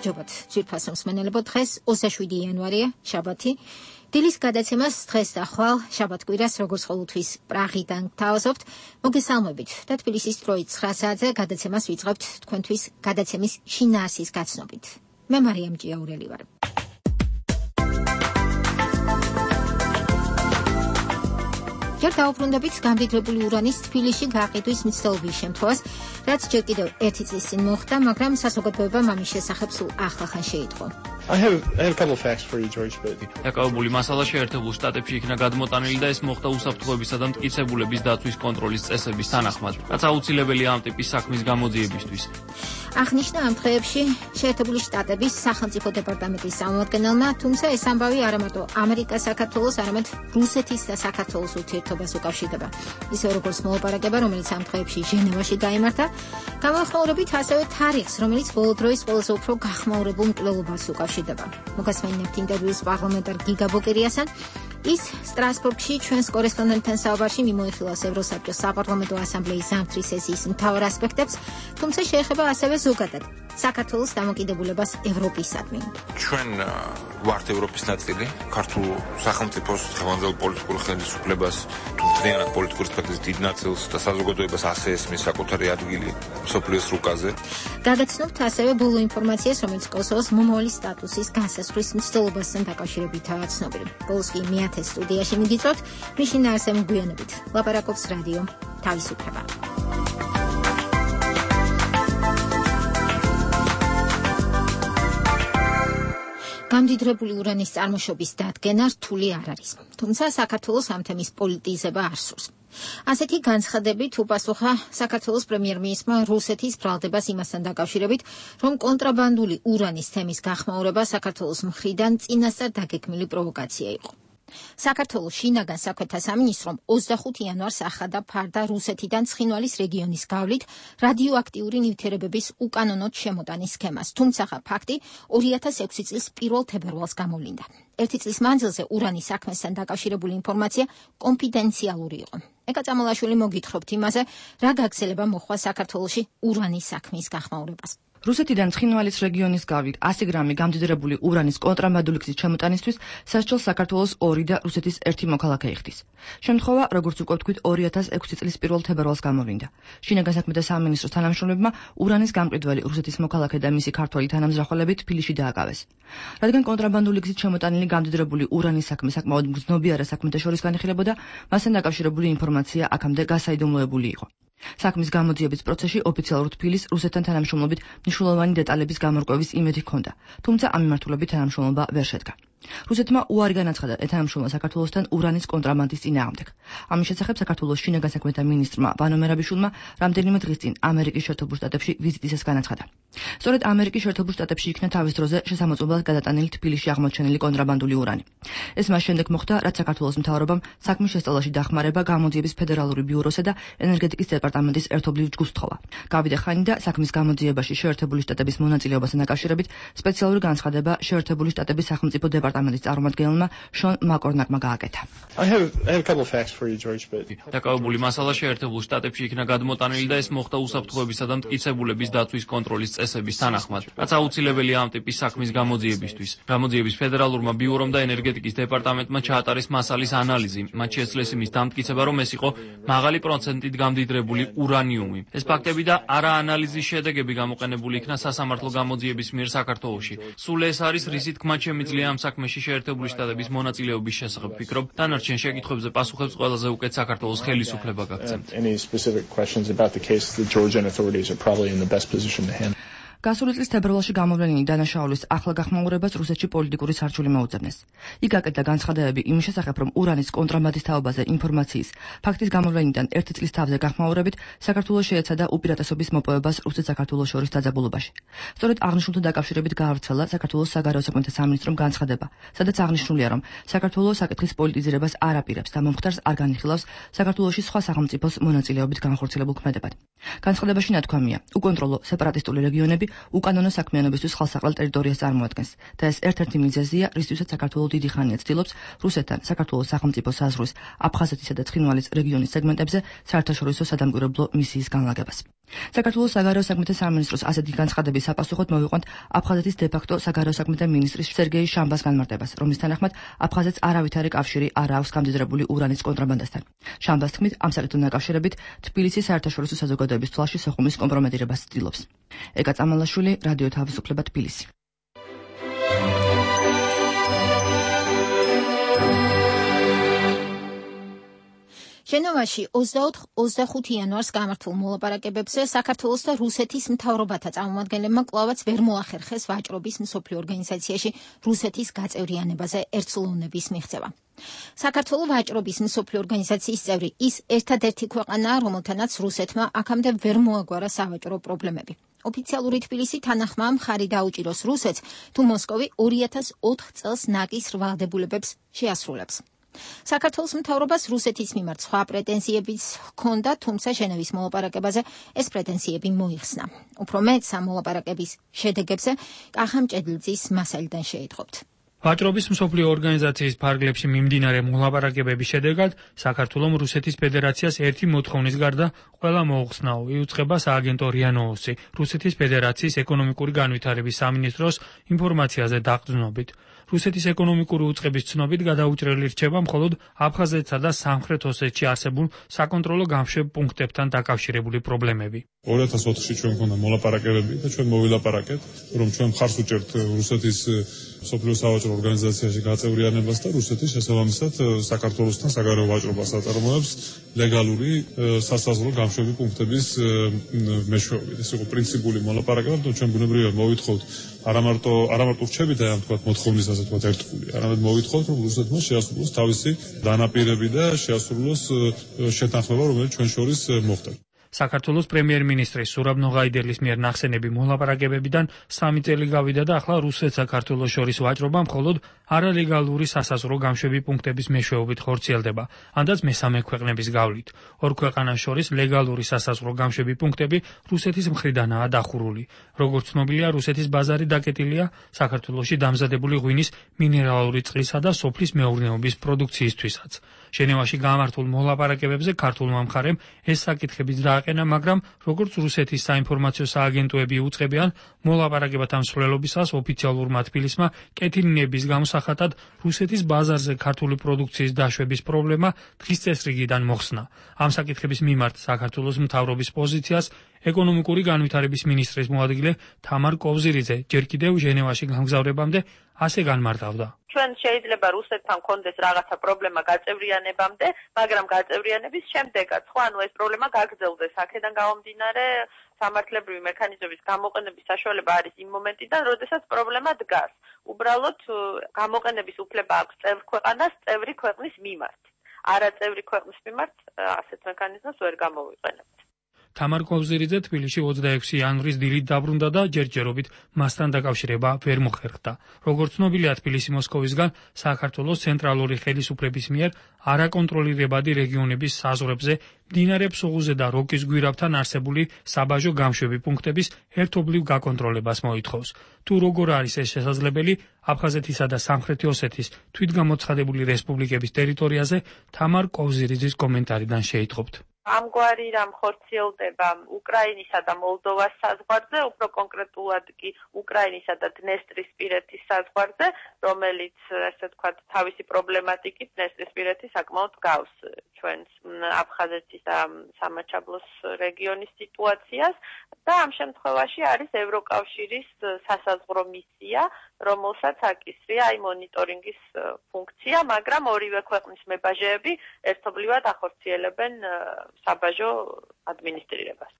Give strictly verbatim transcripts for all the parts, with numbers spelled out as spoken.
გამარჯობათ, ძვირფასო მსმენელებო, დღეს ოცდაშვიდი იანვარია, შაბათი. დილის გადაცემას დღეს და ხვალ შაბათ-კვირას როგორც ყოველთვის პრაღიდან გთავაზობთ. მოგესალმებით და თბილისის დროით ცხრა საათზე გადაცემას ვიწყებთ თქვენთვის გადაცემის შინაარსის გაცნობით. მე მარიამ ჭიაურელი ვარ. ჯერ დავუბრუნდებით გამდიდრებული ურანის თბილისში გაყიდვის მცდელობის შემთხვევას, რაც ჯერ კიდევ ერთი წლის წინ მოხდა, მაგრამ საზოგადოებამ ამის შესახებ სულ ახლახან შეიტყო. I have, I have a couple of facts for you, George, but... დაკავებული მასალა შეერთებულ შტატებში იქნა გადმოტანილი და ეს მოხდა უსაფრთხოებისა და მტკიცებულების დაცვის კონტროლის წესების თანახმად, რაც აუცილებელია ამ ტიპის საქმის გამოძიებისთვის. აღნიშნა ამ დღეებში შეერთებული შტატების სახელმწიფო დეპარტამენტის წარმომადგენელმა, თუმცა ეს ამბავი არა მარტო ამერიკას, საქართველოს, არამედ რუსეთის და საქართველოს ურთიერთობას უკავშირდება. ისე როგორც მოლაპარაკება, რომელიც ამ დღეებში ჟენევაში გაიმართა, გამოხმაურებით ასევე თარიღს, რომელიც ბოლო დროის ყველაზე უფრო გახმაურებულ მკვლელობას უკავშირდება. მოგასმენებთ ინტერვიუს პარლამენტარ გიგა ბოკერიასთან. ის სტრასბურგში ჩვენს კორესპონდენტთან საუბარში მიმოიხილავს ევროსაბჭოს საპარლამენტო ასამბლეის ზამთრის სესიის მთავარ ასპექტებს, თუმცა შეეხება ასევე ზოგადად საქართველოს დამოკიდებულებას ევროპისადმი. ჩვენ ვართ ევროპის ნაწილი, ქართულ სახელმწიფოს ხელმძღვანელ პოლიტიკურ ხელისუფლებას, თუმცა პოლიტიკური სპექტრის დიდ ნაწილს და საზოგადოებას ასე ესმის საკუთარი ადგილი მსოფლიოს რუკაზე. გაგაცნობთ ასევე ბოლო ინფორმაციას, რომელიც კოსოვოს მომავალი სტატუსის განსაზღვრის მცდელობასთან დაკავშირებითაა ცნობილი. ბოლოს კი მეათე სტუდიაში მიგიწვევთ, მის შინაარსზე მოგვიანებით ლაპარაკობს რადიო თავისუფლება. გამდიდრებული ურანის წარმოშობის დადგენა რთული არ არის, თუმცა საქართველოს ამ თემის პოლიტიზება არ სურს. ასეთი განცხადებით უპასუხა საქართველოს პრემიერ-მინისტრმა რუსეთის ბრალდებას იმასთან დაკავშირებით, რომ კონტრაბანდული ურანის თემის გახმაურება საქართველოს მხრიდან წინასწარ დაგეგმილი პროვოკაცია იყო. საქართველოს შინაგან საქმეთა სამინისტრომ ოცდახუთი იანვარს ახადა ფარდა რუსეთიდან ცხინვალის რეგიონის გავლით რადიოაქტიური ნივთიერებების უკანონოდ შემოტანის სქემას, თუმცა ფაქტი ორი ათას ექვსი წლის პირველ თებერვალს გამოვლინდა. ერთი წლის მანძილზე ურანის საქმესთან დაკავშირებული ინფორმაცია კონფიდენციალური იყო. ეკა წამალაშვილი მოგითხრობთ იმაზე, რა გაგრძელება მოხდა საქართველოში ურანის საქმის გახმაურებას. რუსეთიდან ცხინვალის რეგიონის გავლით ასი გრამი გამდიდრებული ურანის კონტრაბანდული გზით შემოტანისთვის სასჯელს საქართველოს ორი და რუსეთის ერთი მოქალაქე იხდის. შემთხვევა, როგორც უკვე ვთქვით, ორი ათას ექვსი წლის პირველ თებერვალს გამოვლინდა. შინაგან საქმეთა სამინისტროს თანამშრომლებმა ურანის გამყიდველი რუსეთის მოქალაქე და მისი ქართველი თანამზრახველები თბილისში დააკავეს. რადგან კონტრაბანდული გზით შემოტანილი გამდიდრებული ურანის საქმე საკმაოდ მგრძნობიარე საქმეთა შორის განიხილებოდა, მასთან დაკავშირებული ინფორმაცია აქამდე გასაიდუმლოებული იყო. საქმის გამოძიების პროცესში ოფიციალურ თბილისს რუსეთთან თანამშრომლობით მნიშვნელოვანი დეტალების გამორკვევის იმედი ჰქონდა, თუმცა ამ მიმართულებით თანამშრომლობა ვერ შედგა. რუსეთმა უარი განაცხადა ეთანამშრომლა საქართველოსთან ურანის კონტრაბანდის წინააღმდეგ. ამის შესახებ საქართველოს შინაგან საქმეთა მინისტრმა ვანო მერაბიშვილმა რამდენიმე დღის წინ ამერიკის შეერთებულ შტატებში ვიზიტისას განაცხადა. სწორედ ამერიკის შეერთებულ შტატებში იქნა თავის დროზე შესამოწმებლად გადატანილი თბილისში აღმოჩენილი კონტრაბანდული ურანი. ეს მას შემდეგ მოხდა, რაც საქართველოს მთავრობამ საქმის შესწავლაში დახმარება გამოძიების ფედერალური ბიუროსა და ენერგეტიკის დეპარტამენტის ერთობლივ ჯგუფს თხოვა. გავიდა ხანი და საქმის გამოძიებაში შეერთებული შტატების მონაწილეობასთან დაკავშირებით სპეციალური განცხადება შეერთებული შტატების სახელმწიფო დეპარტამენტის წარმომადგენელმა შონ მაკორნაკმა გააკეთა. I have, I have a couple of facts for you, George, but... დაკავებული მასალა შეერთებულ შტატებში იქნა გადმოტანილი და ეს მოხდა უსაფრთხოებისა და მტკიცებულების დაცვის კონტროლის წესების თანახმად, რაც აუცილებელია ამ ტიპის საქმის გამოძიებისთვის. გამოძიების ფედერალურმა ბიურომ და ენერგეტიკის დეპარტამენტმა ჩაატარეს მასალის ანალიზი, მათ შეძლეს იმის დამტკიცება, რომ ეს იყო მაღალი პროცენტით გამდიდრებული ურანიუმი. ეს ფაქტები და არა ანალიზის შედეგები გამოყენებული იქნა სასამართლო გამოძიების მიერ საქართველოში. სულ ეს არის, რისი თქმა შემიძლია ამ საქმეში შეერთებული შტატების მონაწილეობის შესახებ ვფიქრობ, დანარჩენ შეკითხვებზე პასუხებს ყველაზე უკეთ საქართველოს ხელისუფლება გაგცემთ. Any specific questions about the case, the Georgian authorities are probably in the best position to handle. გასული წლის თებერვალში გამოვლენილი დანაშაულის ახლა გახმაურებას რუსეთში პოლიტიკური სარჩული მოუწევნეს. იქ აკეთა განცხადებები იმის შესახებ, რომ ურანის კონტრაბანდის თაობაზე ინფორმაციის ფაქტის გამოვლენიდან ერთი წლის თავზე გახმაურებით საქართველოს შეეცადა უპირატესობის მოპოვებას რუსეთ-საქართველოს შორის დაძაბულობაში. სწორედ აღნიშნულთან დაკავშირებით გაავრცელა საქართველოს საგარეო საქმეთა სამინისტრომ განცხადება, სადაც აღნიშნულია, რომ საქართველოს საკითხის პოლიტიზირებას არ აპირებს და მომხდარს არ განიხილავს საქართველოში სხვა სახელმწიფოს მონაწილეობით განხორციელებულ ქმედებად. განცხადებაში ნათქვამია, უკონტროლო სეპარატისტული რეგიონები უკანონო საქმიანობისთვის ხალხსაყრელ ტერიტორიას წარმოადგენს და ეს ერთ-ერთი მიზეზია, რისთვისაც საქართველოს დიდი ხანია ცდილობს რუსეთთან საქართველოს სახელმწიფო საზღვრის აფხაზეთისა და ცხინვალის რეგიონის სეგმენტებზე საერთაშორისო სადამკვირვებლო მისიის განლაგებას. საქართველოს საგარეო საქმეთა სამინისტროს ასეთი განცხადების საპასუხოდ მოვიყვანთ აფხაზეთის დე-ფაქტო საგარეო საქმეთა მინისტრის სერგეი შამბას განმარტებას, რომლის თანახმად აფხაზეთს არავითარი კავშირი არ აქვს გამდიდრებული ურანის კონტრაბანდასთან. შამბას თქმით, ამ საკითხთან დაკავშირებით თბილისის საერთაშორისო საზოგადოების თვალში სოხუმის კომპრომეტირებას ცდილობს. ეკა წამალაშვილი, რადიო თავისუფლება, თბილისი. ჟენევაში ოცდაოთხ ოცდახუთი იანვარს გამართულ მოლაპარაკებებზე საქართველოს და რუსეთის მთავრობათა წარმომადგენლებმა კვლავაც ვერ მოახერხეს ვაჭრობის მსოფლიო ორგანიზაციაში რუსეთის გაწევრიანებაზე ერთსულოვნების მიღწევა. საქართველოს ვაჭრობის მსოფლიო ორგანიზაციის წევრი ის ერთადერთი ქვეყანაა, რომელთანაც რუსეთმა აქამდე ვერ მოაგვარა სავაჭრო პრობლემები. ოფიციალური თბილისი თანახმაა მხარი დაუჭიროს რუსეთს, თუ მოსკოვი ორი ათას ოთხ წელს ნაკის რვალდებულებებს შეასრულებს. საქართველოს მთავრობას რუსეთის მიმართ სხვა პრეტენზიებიც ჰქონდა, თუმცა ჟენევის მოლაპარაკებაზე ეს პრეტენზიები მოიხსნა. უფრო მეტ ამ მოლაპარაკების შედეგებზე კახამ ჭედლიძის მასალიდან შეიტყობთ. ვაჭრობის მსოფლიო ორგანიზაციის ფარგლებში მიმდინარე მოლაპარაკებების შედეგად საქართველოს რუსეთის ფედერაციას ერთი მოთხოვნის გარდა ყველა მოუხსნაო იუწყება სააგენტო რია ნოუსი რუსეთის ფედერაციის ეკონომიკური განვითარების სამინისტროს ინფორმაციაზე დაყრდნობით. რუსეთის ეკონომიკური უწყების ცნობით გადაუჭრელი რჩება მხოლოდ აფხაზეთსა და სამხრეთ ოსეთში არსებულ საკონტროლო გამშვებ პუნქტებთან დაკავშირებული პრობლემები. ორი ათას ოთხში ჩვენ მქონდა მოლაპარაკებები და ჩვენ მოვილაპარაკეთ, რომ ჩვენ მხარს ვუჭერთ რუსეთის მსოფლიო სავაჭრო ორგანიზაციაში გაწევრიანებას და რუსეთის შესაბამისად საქართველოსთან საგარეო ვაჭრობას აწარმოებს ლეგალური სასაზღვრო გამშვები პუნქტების მეშვეობით. ეს იყო პრინციპული მოლაპარაკება, და ჩვენ ბუნებრივია მოვითხოვთ არამარტო არამარტო რჩებით და ამ თქვა მოთხოვნის ასე თქვა ერთგული. არამედ მოვითხოვთ, რომ რუსეთმა შეასრულოს თავისი დანაპირები და შეასრულოს შეთანხმება, რომელიც ჩვენ შორის მოხდა. საქართველოს პრემიერ-მინისტრის სურაბ ნოღაიდელის მიერ ნახსენები მოლაპარაკებებიდან სამი წელი გავიდა და ახლა რუსეთ-საქართველოს შორის ვაჭრობა მხოლოდ არალეგალური სასაზღვრო გამშვები პუნქტების მეშვეობით ხორციელდება, ანდაც მესამე ქვეყნების გავლით. ორ ქვეყანას შორის ლეგალური სასაზღვრო გამშვები პუნქტები რუსეთის მხრიდანაა დახურული. როგორც ცნობილია, რუსეთის ბაზარი დაკეტილია საქართველოში დამზადებული ღვინის, მინერალური წყლისა და სოფლის მეურნეობის პროდუქციისთვისაც. ჟენევაში გამართულ მოლაპარაკებებზე ქართულმა მხარემ ეს საკითხებიც დააყენა, მაგრამ როგორც რუსეთის საინფორმაციო სააგენტოები უწყებიან, მოლაპარაკებათა მსვლელობისას ოფიციალურმა თბილისმა კეთილინების გამოსახატად რუსეთის ბაზარზე ქართული პროდუქციის დაშვების პრობლემა დღის წესრიგიდან მოხსნა. ამ საკითხების მიმართ საქართველოს მთავრობის პოზიციას ეკონომიკური განვითარების მინისტრის მოადგილე თამარ კოვზირიძე ჯერ კიდევ ჟენევაში გამგზავრებამდე ასე განმარტავდა. ჩვენ შეიძლება რუსეთთან კონდეს რაღაცა პრობლემა გაწევრიანებამდე, მაგრამ გაწევრიანების შემდეგაც ხო ანუ ეს პრობლემა გაგრძელდეს. აქედან გამომდინარე სამართლებრივი მექანიზმების გამოყენების საშუალება არის იმ მომენტიდან, როდესაც პრობლემა დგას. უბრალოდ გამოყენების უფლება აქვს წევრ ქვეყანას წევრი ქვეყნის მიმართ. არაწევრი ქვეყნის მიმართ ასეთ მექანიზმს ვერ გამოვიყენებთ. თამარ კოვზირიძე თბილისში ოცდაექვსი იანვრის დილით დაბრუნდა და ჯერჯერობით მასთან დაკავშირება ვერ მოხერხდა. როგორც ცნობილია, თბილისი მოსკოვისგან საქართველოს ცენტრალური ხელისუფლების მიერ არაკონტროლირებადი რეგიონების საზღვრებზე მდინარე ფსოღუზე და როკის გვირაბთან არსებული საბაჟო გამშვები პუნქტების ერთობლივ გაკონტროლებას მოითხოვს. თუ როგორ არის ეს შესაძლებელი, აფხაზეთისა და სამხრეთი ოსეთის თვითგამოცხადებული რესპუბლიკების ტერიტორიაზე თამარ კოვზირიძის კომენტარიდან შეიტყობთ. ამგვარი რამ ხორციელდება უკრაინისა და მოლდოვას საზღვარზე, უფრო კონკრეტულად კი უკრაინისა და დნესტრისპირეთის საზღვარზე, რომელიც ასე ვთქვათ, თავისი პრობლემატიკით დნესტრისპირეთი საკმაოდ გავს ჩვენს აფხაზეთის და სამაჩაბლოს რეგიონის სიტუაციას და ამ შემთხვევაში არის ევროკავშირის სასაზღვრო მისია, რომელსაც აკისრია აი მონიტორინგის ფუნქცია, მაგრამ ორივე ქვეყნის მებაჟეები ერთობლივად ახორციელებენ საბაჟო ადმინისტრირებას.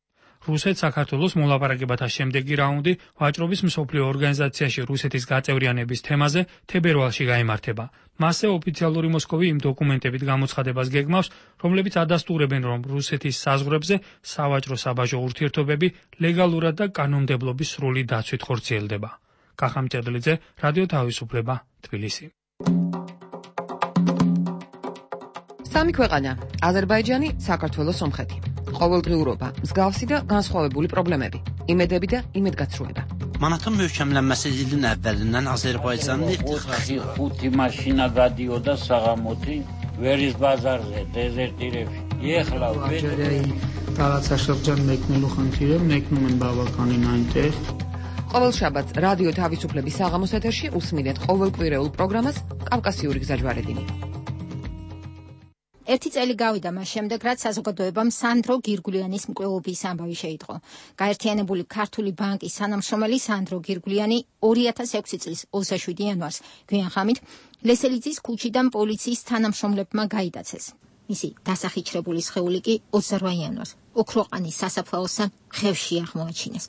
რუსეთ-საქართველოს მოლაპარაკებათა შემდეგი რაუნდი ვაჭრობის მსოფლიო ორგანიზაციაში რუსეთის გაწევრიანების თემაზე თებერვალში გაიმართება. მასზე ოფიციალური მოსკოვი იმ დოკუმენტებით გამოცხადებას გეგმავს, რომლებიც ადასტურებენ, რომ რუსეთის საზღვრებზე სავაჭრო-საბაჟო ურთიერთობები ლეგალურად და კანონმდებლობის სრული დაცვით ხორციელდება. კახამ ჭედლიძე, რადიო თავისუფლება, თბილისი. სამი ქვეყანა: აზერბაიჯანი, საქართველო, სომხეთი. ყოველდღიურობა, მსგავსი და განსხვავებული პრობლემები, იმედები და იმედგაცრუება. მანათონ მევჩამლამასე ilin əvvəlindən Azərbaycanlı ხუთი maşina გადიოდა საღამოთი ვერის ბაზარზე, დეზერტირებში. ეხლა ვედი რაღაცა შეღჯან მეკნელო ხანთირე, მეკნუმენ ბაბაკანი ნაინტეხ. ყოველ შაბათს რადიო თავისუფლების საღამოს ეთერში უსმინეთ ყოველკვირეულ პროგრამას კავკასიური გზაჯვარედინი. ერთი წელი გავიდა მას შემდეგ, რაც საზოგადოებამ სანდრო გირგულიანის მკვლელობის ამბავი შეიტყო. გაერთიანებული ქართული ბანკის თანამშრომელი სანდრო გირგულიანი ორი ათას ექვსი წლის ოცდაშვიდი იანვარს გვიან ხამით ლესელიძის ქუჩიდან პოლიციის თანამშრომლებმა გაიდაცეს. მისი დასახიჩრებული სხეული კი ოცდარვა იანვარს ოქროყანის სასაფლაოსთან ხევში აღმოაჩინეს.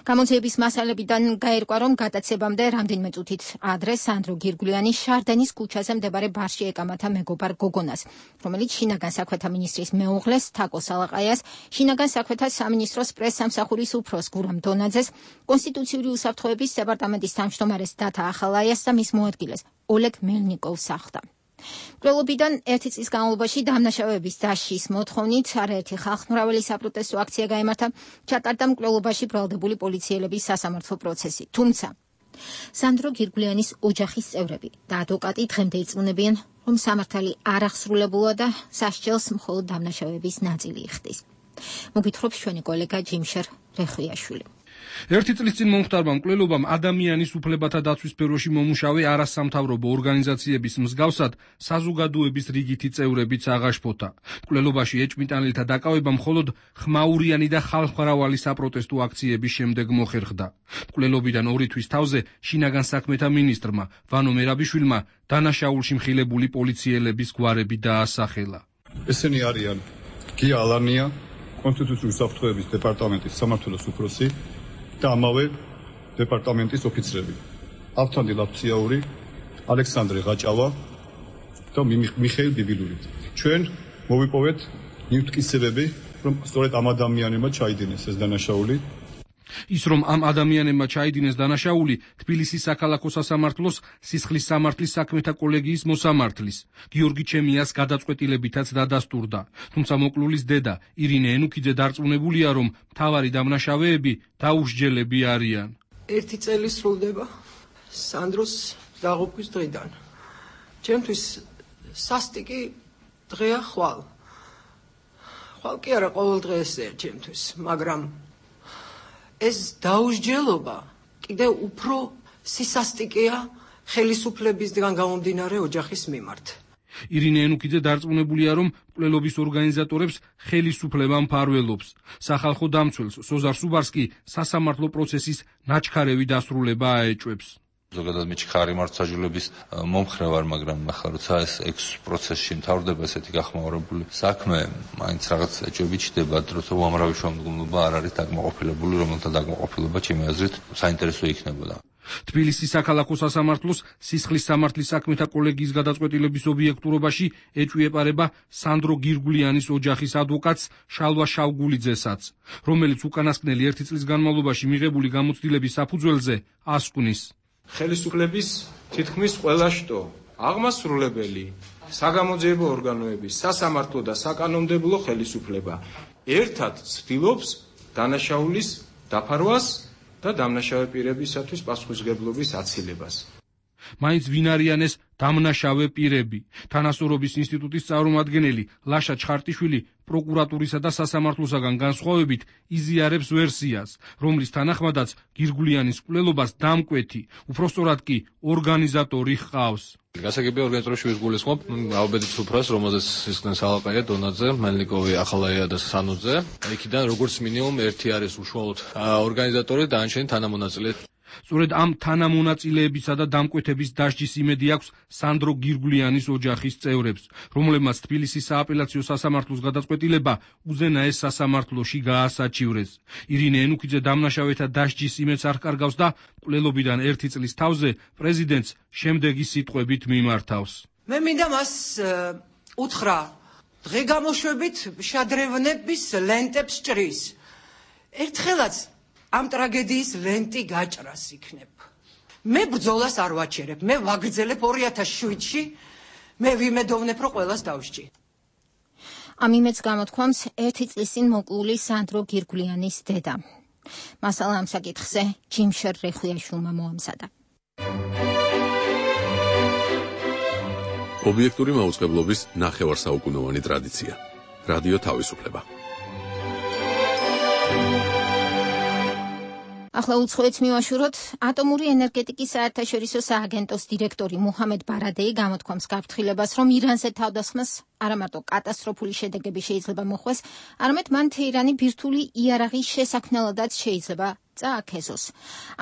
გამოძიების მასალებიდან გაირკვა, რომ გადაცებამდე რამდენიმე წუთით ადრე სანდრო გირგულიანი შარდენის ქუჩაზე მდებარე ბარში ეკამათა მეგობარ გოგონას, რომელიც შინაგან საქმეთა მინისტრის მეუღლეს თაკო სალაყაიას, შინაგან საქმეთა სამინისტროს პრესსამსახურის უფროს გურამ დონაძეს, კონსტიტუციური უსაფრთხოების დეპარტამენტის თავმჯდომარეს დათა ახალაიას და მის მოადგილეს ოლეგ მელნიკოვს ახლდა. მკვლელობიდან ერთი წლის განმავლობაში დამნაშავეების დაშლის მოთხოვნით არაერთი ხალხმრავალი საპროტესტო აქცია გაიმართა, ჩატარდა მკვლელობაში ბრალდებული პოლიციელების სასამართლო პროცესი. თუმცა სანდრო გირგულიანის ოჯახის წევრები და ადვოკატი დღემდე ირწმუნებიან, რომ სამართალი არ აღსრულებულა და სასჯელს მხოლოდ დამნაშავეების ნაწილი იხდის. მოგვითხრობს ჩვენი კოლეგა ჯიმშერ რეხვიაშვილი. ერთი წლის წინ მომხდარმა მკვლელობამ ადამიანის უფლებათა დაცვის სფეროში მომუშავე არასამთავრობო ორგანიზაციების მსგავსად საზოგადოების რიგითი წევრებიც აღაშფოთა. მკვლელობაში ეჭვმიტანილთა დაკავება მხოლოდ ხმაურიანი და ხალხმრავალი საპროტესტო აქციების შემდეგ მოხერხდა. მკვლელობიდან ორი თვის თავზე შინაგან საქმეთა მინისტრმა ვანო მერაბიშვილმა დანაშაულში მხილებული პოლიციელების გვარები დაასახელა. ესენი არიან გია ალანია, კონსტიტუციური უსაფრთხოების დეპარტამენტის სამმართველოს უფროსი და ამავე დეპარტამენტის ოფიცრები. ავთანდი ლაფციაური, ალექსანდრე ღაჭავა და მიხეილ ბიბილური. ჩვენ მოვიპოვეთ მითკისებები, რომ სწორედ ამ ადამიანებმა ჩაიდინეს ეს დანაშაული. ის რომ ამ ადამიანებმა ჩაიდინეს დანაშაული თბილისის საქალაქო სასამართლოს სისხლის სამართლის საქმეთა კოლეგიის მოსამართლის გიორგი ჩემიას გადაწყვეტილებითაც დადასტურდა. თუმცა მოკლულის დედა ირინე ენუქიძე დარწმუნებულია, რომ მთავარი დამნაშავეები დაუსჯელები არიან. ერთი წელი სრულდება სანდროს დაღუპვის დღიდან. ჩემთვის სასტიკი დღეა ხვალ. ხვალ კი არა, ყოველ დღე ესეა ჩემთვის, მაგრამ ეს დაუსჯელობა კიდევ უფრო სისასტიკეა ხელისუფლებისგან გამომდინარე ოჯახის მიმართ. ირინე ენუქიძე დარწმუნებულია, რომ მკვლელობის ორგანიზატორებს ხელისუფლება მფარველობს. სახალხო დამცველს სოზარ სუბარსკი სასამართლო პროცესის ნაჩქარევი დასრულება აეჭვებს. ზოგადად მიჩქარი მართლმსაჯულების მომხრე ვარ, მაგრამ ახლა როცა ეს ექვს პროცესში მთავრდება ესეთი გახმაურებული საქმე, მაინც რაღაც ეჭვები ჩდება, როცა უამრავი შუამდგომლობა არ არის დაკმაყოფილებული, რომელთა დაკმაყოფილება ჩემი აზრით საინტერესო იქნებოდა. თბილისის საქალაქო სასამართლოს სისხლის სამართლის საქმეთა კოლეგიის გადაწყვეტილების ობიექტურობაში ეჭვი ეპარება სანდრო გირგულიანის ოჯახის ადვოკატს შალვა შავგულიძესაც, რომელიც უკანასკნელი ერთი წლის განმავლობაში მიღებული გამოცდილების საფუძველზე ასკვნის. ხელისუფლების თითქმის ყველა შტო, აღმასრულებელი, საგამოძიებო ორგანოები, სასამართლო და საკანონმდებლო ხელისუფლება ერთად ცდილობს დანაშაულის დაფარვას და დამნაშავე პირებისათვის პასუხისმგებლობის აცილებას. მაინც ვინ არიან ეს დამნაშავე პირები? თანასწორობის ინსტიტუტის წარმომადგენელი ლაშა ჩხარტიშვილი პროკურატურისა და სასამართლოსაგან განსხვავებით იზიარებს ვერსიას, რომლის თანახმადაც გირგულიანის მკვლელობას დამკვეთი, უпростоრად კი ორგანიზატორი ჰყავს. გასაგებია ორგანიზატორში ვისგულისხმობ ალბედის უფროს, რომელზეც ისხდნენ სალაყაია, დონაძე, მელნიკოვი, ახალაია და სანუძე. იქიდან როგორც მინიმუმ ერთი არის უშუალოდ ორგანიზატორი და ანჩენი თანამონაწილე. სწორედ ამ თანამონაწილეებისა და დამკვეთების დასჯის იმედი აქვს სანდრო გირგულიანის ოჯახის წევრებს, რომლებმაც თბილისის სააპელაციო სასამართლოს გადაწყვეტილება უზენაეს სასამართლოში გაასაჩივრეს. ირინე ენუქიძე დამნაშავეთა დასჯის იმედს არ კარგავს და მკვლელობიდან ერთი წლის თავზე პრეზიდენტს შემდეგი სიტყვებით მიმართავს. მე მინდა მას უთხრა, დღე გამოშვებით შადრევნების ლენტებს ჭრის. ერთხელაც ამ ტრაგედიის ლენტი გაჭრას იქნებ. მე ბრძოლას არ ვაჩერებ, მე ვაგრძელებ ორი ათას შვიდში, მე ვიმედოვნებ, რომ ყველას დავსჭი. ამ იმედს გამოთქვამს ერთი წლის წინ მოკლული სანდრო გირგულიანის დედა. მასალა ამ საკითხზე ჯიმშერ რეხვიაშვილმა მოამზადა. ობიექტური მაუწყებლობის ნახევარსაუკუნოვანი ტრადიცია. რადიო თავისუფლება. ახლა უცხოეთს მივაშუროთ. ატომური ენერგეტიკის საერთაშორისო სააგენტოს დირექტორი მუჰამედ ბარადეი გამოთქვამს გაფრთხილებას, რომ ირანზე თავდასხმას არა მარტო კატასტროფული შედეგები შეიძლება მოხვდეს, არამედ მან თეირანი ბირთვული იარაღის შესაქმნელადაც შეიძლება წააქეზოს.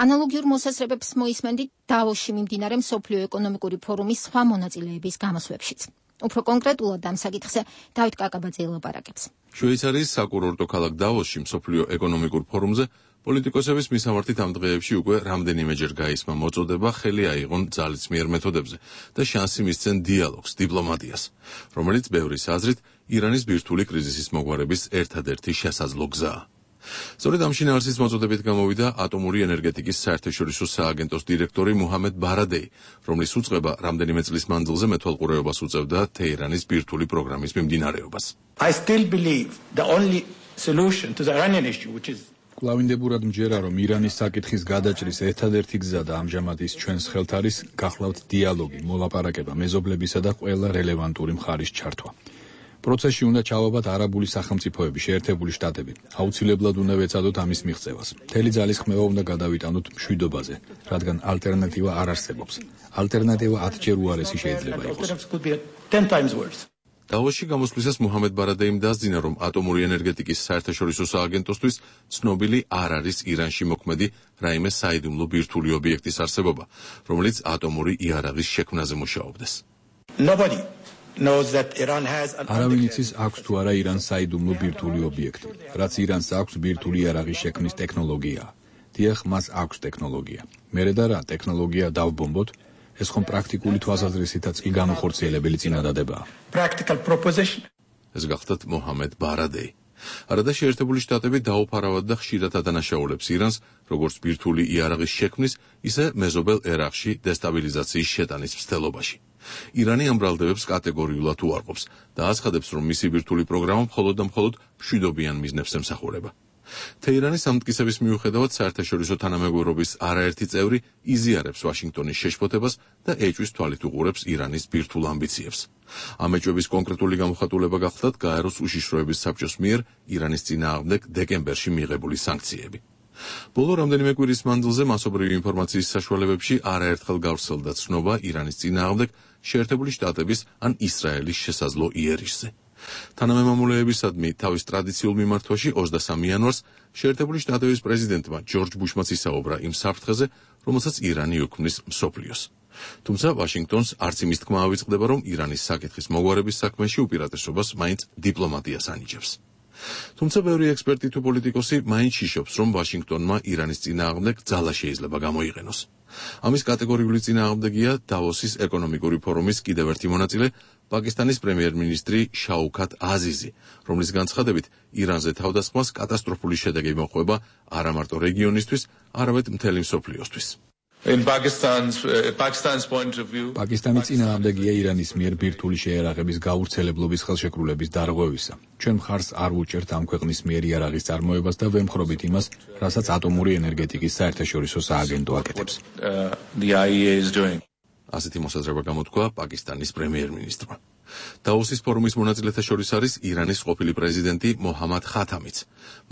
ანალოგიურ მოსაზრებებს მოისმენდით დავოსში მიმდინარე მსოფლიო ეკონომიკური ფორუმის სხვა მონაწილეების გამოსვლებშიც. უფრო კონკრეტულად ამ საკითხზე დავით კაკაბაძე ელაპარაკებს. შვეიცარიის საკურორტო ქალაქ დავოსში მსოფლიო ეკონომიკურ ფორუმზე პოლიტიკოსების მისამართით ამ დღეებში უკვე რამდენიმეჯერ გაისმა მოწოდება ხელი აიღონ ძალისმიერ მეთოდებზე და შანსი მისცენ დიალოგს, დიპლომატიას, რომელიც ბევრის აზრით ირანის ბირთვული კრიზისის მოგვარების ერთადერთი შესაძლო გზაა. სწორედ ამ შინაარსის მოწოდებით გამოვიდა ატომური ენერგეტიკის საერთაშორისო სააგენტოს დირექტორი მუჰამედ ბარადეი, რომლის უწყება რამდენიმე წლის მანძილზე მეთვალყურეობას უწევდა თეირანის ბირთვული პროგრამის მიმდინარეობას. I still believe the only solution to the Iranian issue, which is კლავინდებურად მჯერა, რომ ირანის საკითხის გადაჭრის ერთადერთი გზა და ამჟამად ის ჩვენს ხელთ არის გახლავთ დიალოგი, მოლაპარაკება, მეზობლებისა და ყველა რელევანტური მხარის ჩართვა. პროცესში უნდა ჩავაბათ არაბული სახელმწიფოები, შეერთებული შტატები. აუცილებლად უნდა ვეცადოთ ამის მიღწევას. მთელი ძალისხმევა უნდა გადავიტანოთ მშვიდობაზე, რადგან ალტერნატივა არ არსებობს. ალტერნატივა ათჯერ უარესი შეიძლება იყოს. დავოსში გამოსვლისას მუჰამედ ბარადეიმ დასძინა, რომ ატომური ენერგეტიკის საერთაშორისო სააგენტოსთვის ცნობილი არ არის ირანში მოქმედი რაიმე საიდუმლო ბირთვული ობიექტის არსებობა, რომელიც ატომური იარაღის შექმნაზე მუშაობდეს. Nobody knows that Iran has an არავინ იცის აქვს თუ არა ირანს საიდუმლო ბირთვული ობიექტი, რაც ირანს აქვს ბირთვული იარაღის შექმნის ტექნოლოგია. დიახ, მას აქვს ტექნოლოგია. მერე და რა ტექნოლოგია დავბომბოთ, ეს ხომ პრაქტიკული თვალსაზრისითაც კი განუხორციელებელი წინადადებაა. Practical proposition. ეს გახლდათ მუჰამედ ბარადეი. არადა შეერთებული შტატები დაუფარავად და ხშირად ადანაშაულებს ირანს, როგორც ბირთვული იარაღის შექმნის, ისე მეზობელ ერაყში დესტაბილიზაციის შეტანის მცდელობაში. ირანი ამ ბრალდებებს კატეგორიულად უარყოფს და აცხადებს, რომ მისი ბირთვული პროგრამა მხოლოდ და მხოლოდ მშვიდობიან მიზნებს ემსახურება. თეირანის ამტკიცების მიუხედავად საერთაშორისო თანამეგობრობის არაერთი წევრი იზიარებს ვაშინგტონის შეშფოთებას და ეჭვის თვალით უყურებს ირანის ბირთვულ ამბიციებს. ამ ეჭვების კონკრეტული გამოხატულება გახლდათ გაეროს უშიშროების საბჭოს მიერ ირანის წინააღმდეგ დეკემბერში მიღებული სანქციები. ბოლო რამდენიმე კვირის მანძილზე მასობრივი ინფორმაციის საშუალებებში არაერთხელ გავრცელდა ცნობა ირანის წინააღმდეგ შეერთებული შტატების ან ისრაელის შესაძლო იერიშზე. თანამემამულეებისადმი თავის ტრადიციულ მიმართვაში ოცდასამი იანვარს შეერთებული შტატების პრეზიდენტმა ჯორჯ ბუშმაც ისაუბრა იმ საფრთხეზე, რომელსაც ირანი უქმნის მსოფლიოს. თუმცა ვაშინგტონს არც იმის თქმა ავიწყდება, რომ ირანის საკითხის მოგვარების საქმეში უპირატესობას მაინც დიპლომატიას ანიჭებს. თუმცა ბევრი ექსპერტი თუ პოლიტიკოსი მაინც შიშობს, რომ ვაშინგტონმა ირანის წინააღმდეგ ძალა შეიძლება გამოიყენოს. ამის კატეგორიული წინააღმდეგია დავოსის ეკონომიკური ფორუმის კიდევ ერთი მონაწილე, პაკისტანის პრემიერ-მინისტრი შაუქათ აზიზი, რომლის განცხადებით ირანზე თავდასხმას კატასტროფული შედეგი მოჰყვება არა მარტო რეგიონისთვის, არამედ მთელი მსოფლიოსთვის. In Pakistan's uh, Pakistan's point of view, პაკისტანის წინააღმდეგია ირანის მიერ ბირთვული შეიარაღების გავრცელებლობის ხელშეკრულების დარღვევისა. ჩვენ მხარს არ ვუჭერთ ამ ქვეყნის მიერ იარაღის წარმოებას და ვემხრობით იმას, რასაც ატომური ენერგეტიკის საერთაშორისო სააგენტო აკეთებს. The I E A is doing. ასეთი მოსაზრება გამოთქვა პაკისტანის პრემიერ-მინისტრმა. დავოსის ფორუმის მონაწილეთა შორის არის ირანის ყოფილი პრეზიდენტი მოჰამად ხათამიც.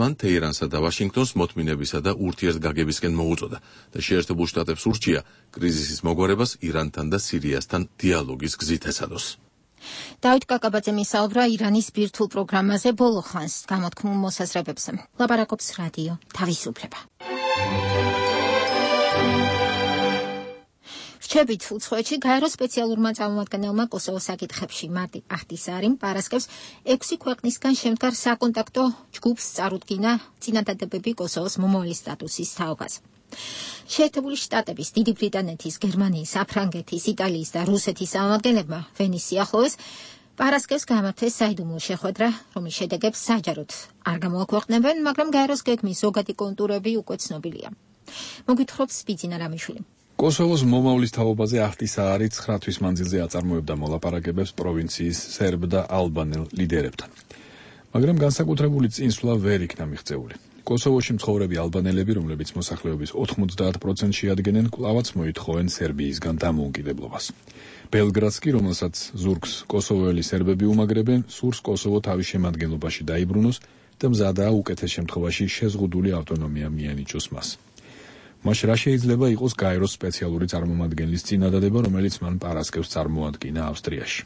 მან თეირანსა და ვაშინგტონს მოთმინებისა და ურთიერთგაგებისკენ მოუწოდა და შეერთებულ შტატებს ურჩია კრიზისის მოგვარებას ირანთან და სირიასთან დიალოგის გზით ეცადოს. დავით კაკაბაძე მისაუბრა ირანის ბირთვულ პროგრამაზე ბოლო ხანს გამოთქმულ მოსაზრებებზე. ლაპარაკობს რადიო თავისუფლება. რჩებით უცხოეთში გაეროს სპეციალურმა წარმომადგენელმა კოსოვოს საკითხებში მარტი ახტისარი პარასკევს ექვსი ქვეყნისგან შემდგარ საკონტაქტო ჯგუფს წარუდგინა წინადადებები კოსოვოს მომავალი სტატუსის თაობაზე. შეერთებული შტატების, დიდი ბრიტანეთის, გერმანიის, საფრანგეთის, იტალიის და რუსეთის წარმომადგენლებმა ვენის სიახლოვეს პარასკევს გამართეს საიდუმლო შეხვედრა, რომლის შედეგებს საჯაროდ არ გამოაქვეყნებენ, მაგრამ გაეროს გეგმის ზოგადი კონტურები უკვე ცნობილია. მოგვითხრობს ბიძინა რამიშვილი. კოსოვოს მომავლის თაობაზე ახტისარი ცხრა თვის მანძილზე აწარმოებდა მოლაპარაკებებს პროვინციის სერბ და ალბანელ ლიდერებთან. მაგრამ განსაკუთრებული წინსვლა ვერ იქნა მიღწეული. კოსოვოში მცხოვრები ალბანელები, რომლებიც მოსახლეობის ოთხმოცდაათ პროცენტს შეადგენენ, კვლავაც მოითხოვენ სერბიისგან დამოუკიდებლობას. ბელგრადს კი, რომელსაც ზურგს კოსოვოელი სერბები უმაგრებენ, სურს კოსოვო თავის შემადგენლობაში დაიბრუნოს და მზადაა უკეთეს შემთხვევაში შეზღუდული ავტონომია მიენიჭოს მას. მაშ რა შეიძლება იყოს გაეროს სპეციალური წარმომადგენლის წინადადება, რომელიც მან პარასკევს წარმოადგინა ავსტრიაში.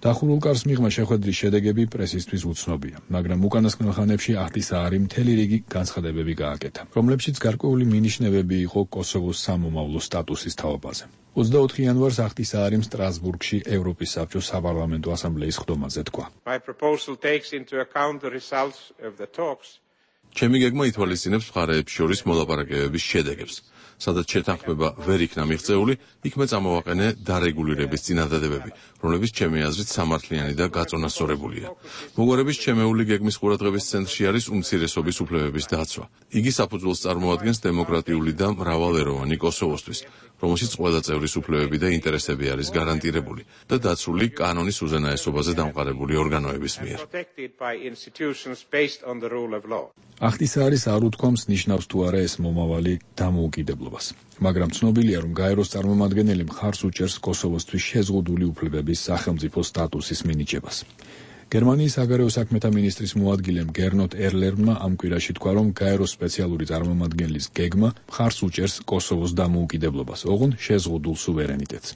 დახურულ კარს მიღმა შეხვედრის შედეგები პრესისთვის უცნობია, მაგრამ უკანასკნელ ხანებში ახტისაარი მთელი რიგი განცხადებები გააკეთა, რომლებშიც გარკვეული მინიშნებები იყო კოსოვოს სამომავლო სტატუსის თაობაზე. ოცდაოთხი იანვარს ახტისაარიმ სტრასბურგში ევროპის საბჭოს საპარლამენტო ასამბლეის ხდომაზე თქვა. ჩემი გეგმა ითვალისწინებს მხარეებს შორის მოლაპარაკებების შედეგებს. სადაც შეთანხმება ვერ იქნა მიღწეული, იქმე წამოვაყენე დარეგულირების წინადადებები, რომლებიც ჩემი აზრით სამართლიანი და გაწონასწორებულია. მოგვარების ჩემეული გეგმის ყურადღების ცენტრში არის უმცირესობის უფლებების დაცვა. იგი საფუძველს წარმოადგენს დემოკრატიული და მრავალეროვანი კოსოვოსთვის, რომელშიც ყველა წევრის უფლებები და ინტერესები არის გარანტირებული და დაცული კანონის უზენაესობაზე დამყარებული ორგანოების მიერ. ახტისაარის არ უთქვამს ნიშნავს თუ არა ეს მომავალი დამოუკიდებლობას. მაგრამ ცნობილია, რომ გაეროს წარმომადგენელი მხარს უჭერს კოსოვოსთვის შეზღუდული უფლებების სახელმწიფო სტატუსის მინიჭებას. გერმანიის საგარეო საქმეთა მინისტრის მოადგილემ გერნოტ ერლერმა ამ კვირაში თქვა, რომ გაეროს სპეციალური წარმომადგენლის გეგმა მხარს უჭერს კოსოვოს დამოუკიდებლობას, ოღონდ შეზღუდულ სუვერენიტეტს.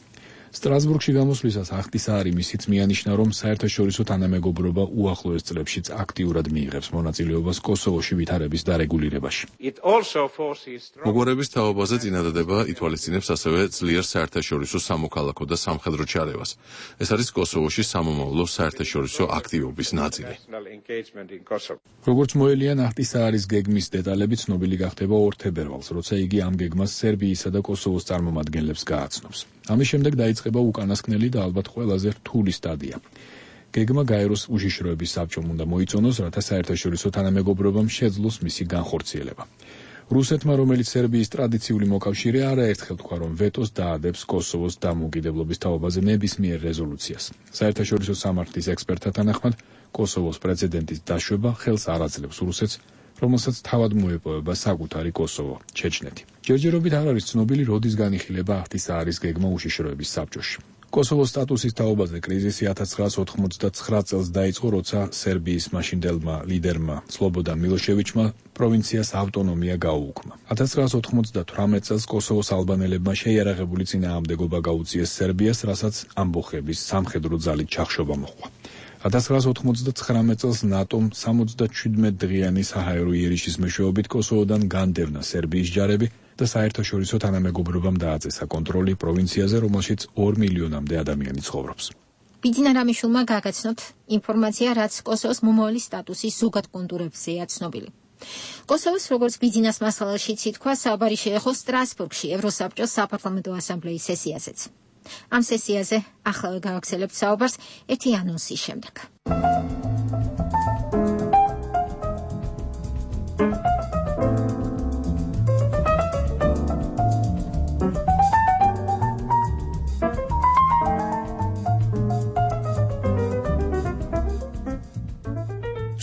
სტრასბურგში გამოსვლისას ახტისაარი მისიც მიანიშნა, რომ საერთაშორისო თანამეგობრობა უახლოეს წლებშიც აქტიურად მიიღებს მონაწილეობას კოსოვოში ვითარების დარეგულირებაში. მოგვარების თაობაზე წინადადება ითვალისწინებს ასევე ძლიერ საერთაშორისო სამოქალაქო და სამხედრო ჩარევას. ეს არის კოსოვოში სამომავლო საერთაშორისო აქტივობის ნაწილი. როგორც მოელიან, ახტისაარის გეგმის დეტალები ცნობილი გახდება ორ თებერვალს, როცა იგი ამ გეგმას სერბიისა და კოსოვოს წარმომადგენლებს გააცნობს. ამის შემდეგ დაიწყება უკანასკნელი და ალბათ ყველაზე რთული სტადია. გეგმა გაეროს უშიშროების საბჭომ უნდა მოიწონოს, რათა საერთაშორისო თანამეგობრობამ შეძლოს მისი განხორციელება. რუსეთმა, რომელიც სერბიის ტრადიციული მოკავშირე, არაერთხელ თქვა, რომ ვეტოს დაადებს კოსოვოს დამოუკიდებლობის თაობაზე ნებისმიერ რეზოლუციას. საერთაშორისო სამართლის ექსპერტთა თანახმად, კოსოვოს პრეცედენტის დაშვება ხელს არ აძლევს რუსეთს, რომელსაც თავად მოეპოვება საკუთარი კოსოვო, ჩეჩნეთი. ჯერჯერობით არ არის ცნობილი, როდის განიხილება ახტისაარის გეგმა უშიშროების საბჭოში. კოსოვოს სტატუსის თაობაზე კრიზისი ათას ცხრაას ოთხმოცდაცხრა წელს დაიწყო, როცა სერბიის მაშინდელმა ლიდერმა სლობოდან მილოშევიჩმა პროვინციას ავტონომია გაუუქმა. ათას ცხრაას ოთხმოცდათვრამეტ წელს კოსოვოს ალბანელებმა შეიარაღებული წინააღმდეგობა გაუწიეს სერბიას, რასაც ამბოხების სამხედრო ძალით ჩახშობა მოჰყვა. ათას ცხრაას ოთხმოცდაცხრამეტ წელს ნატომ სამოცდაჩვიდმეტ დღიანი საჰაერო იერიშის მეშვეობით კოსოვოდან განდევნა სერბიის ჯარები და საერთაშორისო თანამეგობრობამ დააწესა კონტროლი პროვინციაზე, რომელშიც ორ მილიონამდე ადამიანი ცხოვრობს. ბიძინა რამიშულმა გაგაცნოთ ინფორმაცია, რაც კოსოვოს მომავალი სტატუსის ზოგად კონტურებზეა ცნობილი. კოსოვოს, როგორც ბიძინას მასალაშიც ითქვა, საუბარი შეეხო სტრასბურგში ევროსაბჭოს საპარლამენტო ასამბლეის სესიაზეც. ამ სესიაზე ახლა გავაგრძელებთ საუბარს ერთი ანონსის შემდეგ.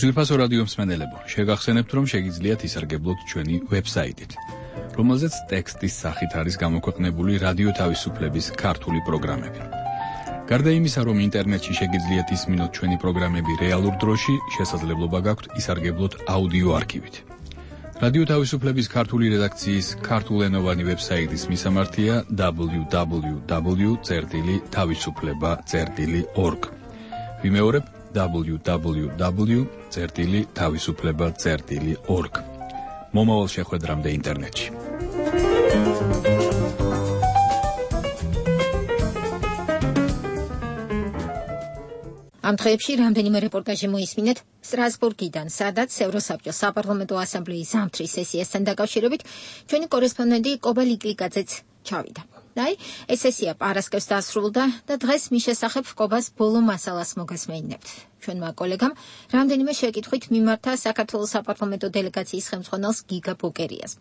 ძვირფასო რადიო მსმენელებო, შეგახსენებთ, რომ შეგიძლიათ ისარგებლოთ ჩვენი ვებსაიტით, რომელზეც ტექსტის სახით არის გამოქვეყნებული რადიო თავისუფლების ქართული პროგრამები. გარდა იმისა, რომ ინტერნეტში შეგიძლიათ ისმინოთ ჩვენი პროგრამები რეალურ დროში, შესაძლებლობა გაქვთ ისარგებლოთ აუდიო არქივით. რადიო თავისუფლების ქართული რედაქციის ქართულენოვანი ვებსაიტის მისამართია დაბლიუ დაბლიუ დაბლიუ წერტილი თავისუფლება წერტილი ორგ. ვიმეორებ დაბლიუ დაბლიუ დაბლიუ წერტილი თავისუფლება წერტილი ორგ. მომავალ შეხვედრამდე ინტერნეტში. ამ დღეებში რამდენიმე რეპორტაჟი მოისმინეთ სტრასბურგიდან, სადაც ევროსაბჭოს საპარლამენტო ასამბლეის ზამთრის სესიასთან დაკავშირებით ჩვენი კორესპონდენტი კობა ლიკლიკაძეც ჩავიდა. აი, ეს სესია პარასკევს დასრულდა და დღეს მის შესახებ კობას ბოლო მასალას მოგესმენინებთ. ჩვენმა კოლეგამ რამდენიმე შეკითხვით მიმართა საქართველოს საპარლამენტო დელეგაციის ხელმძღვანელს გიგა ბოკერიას.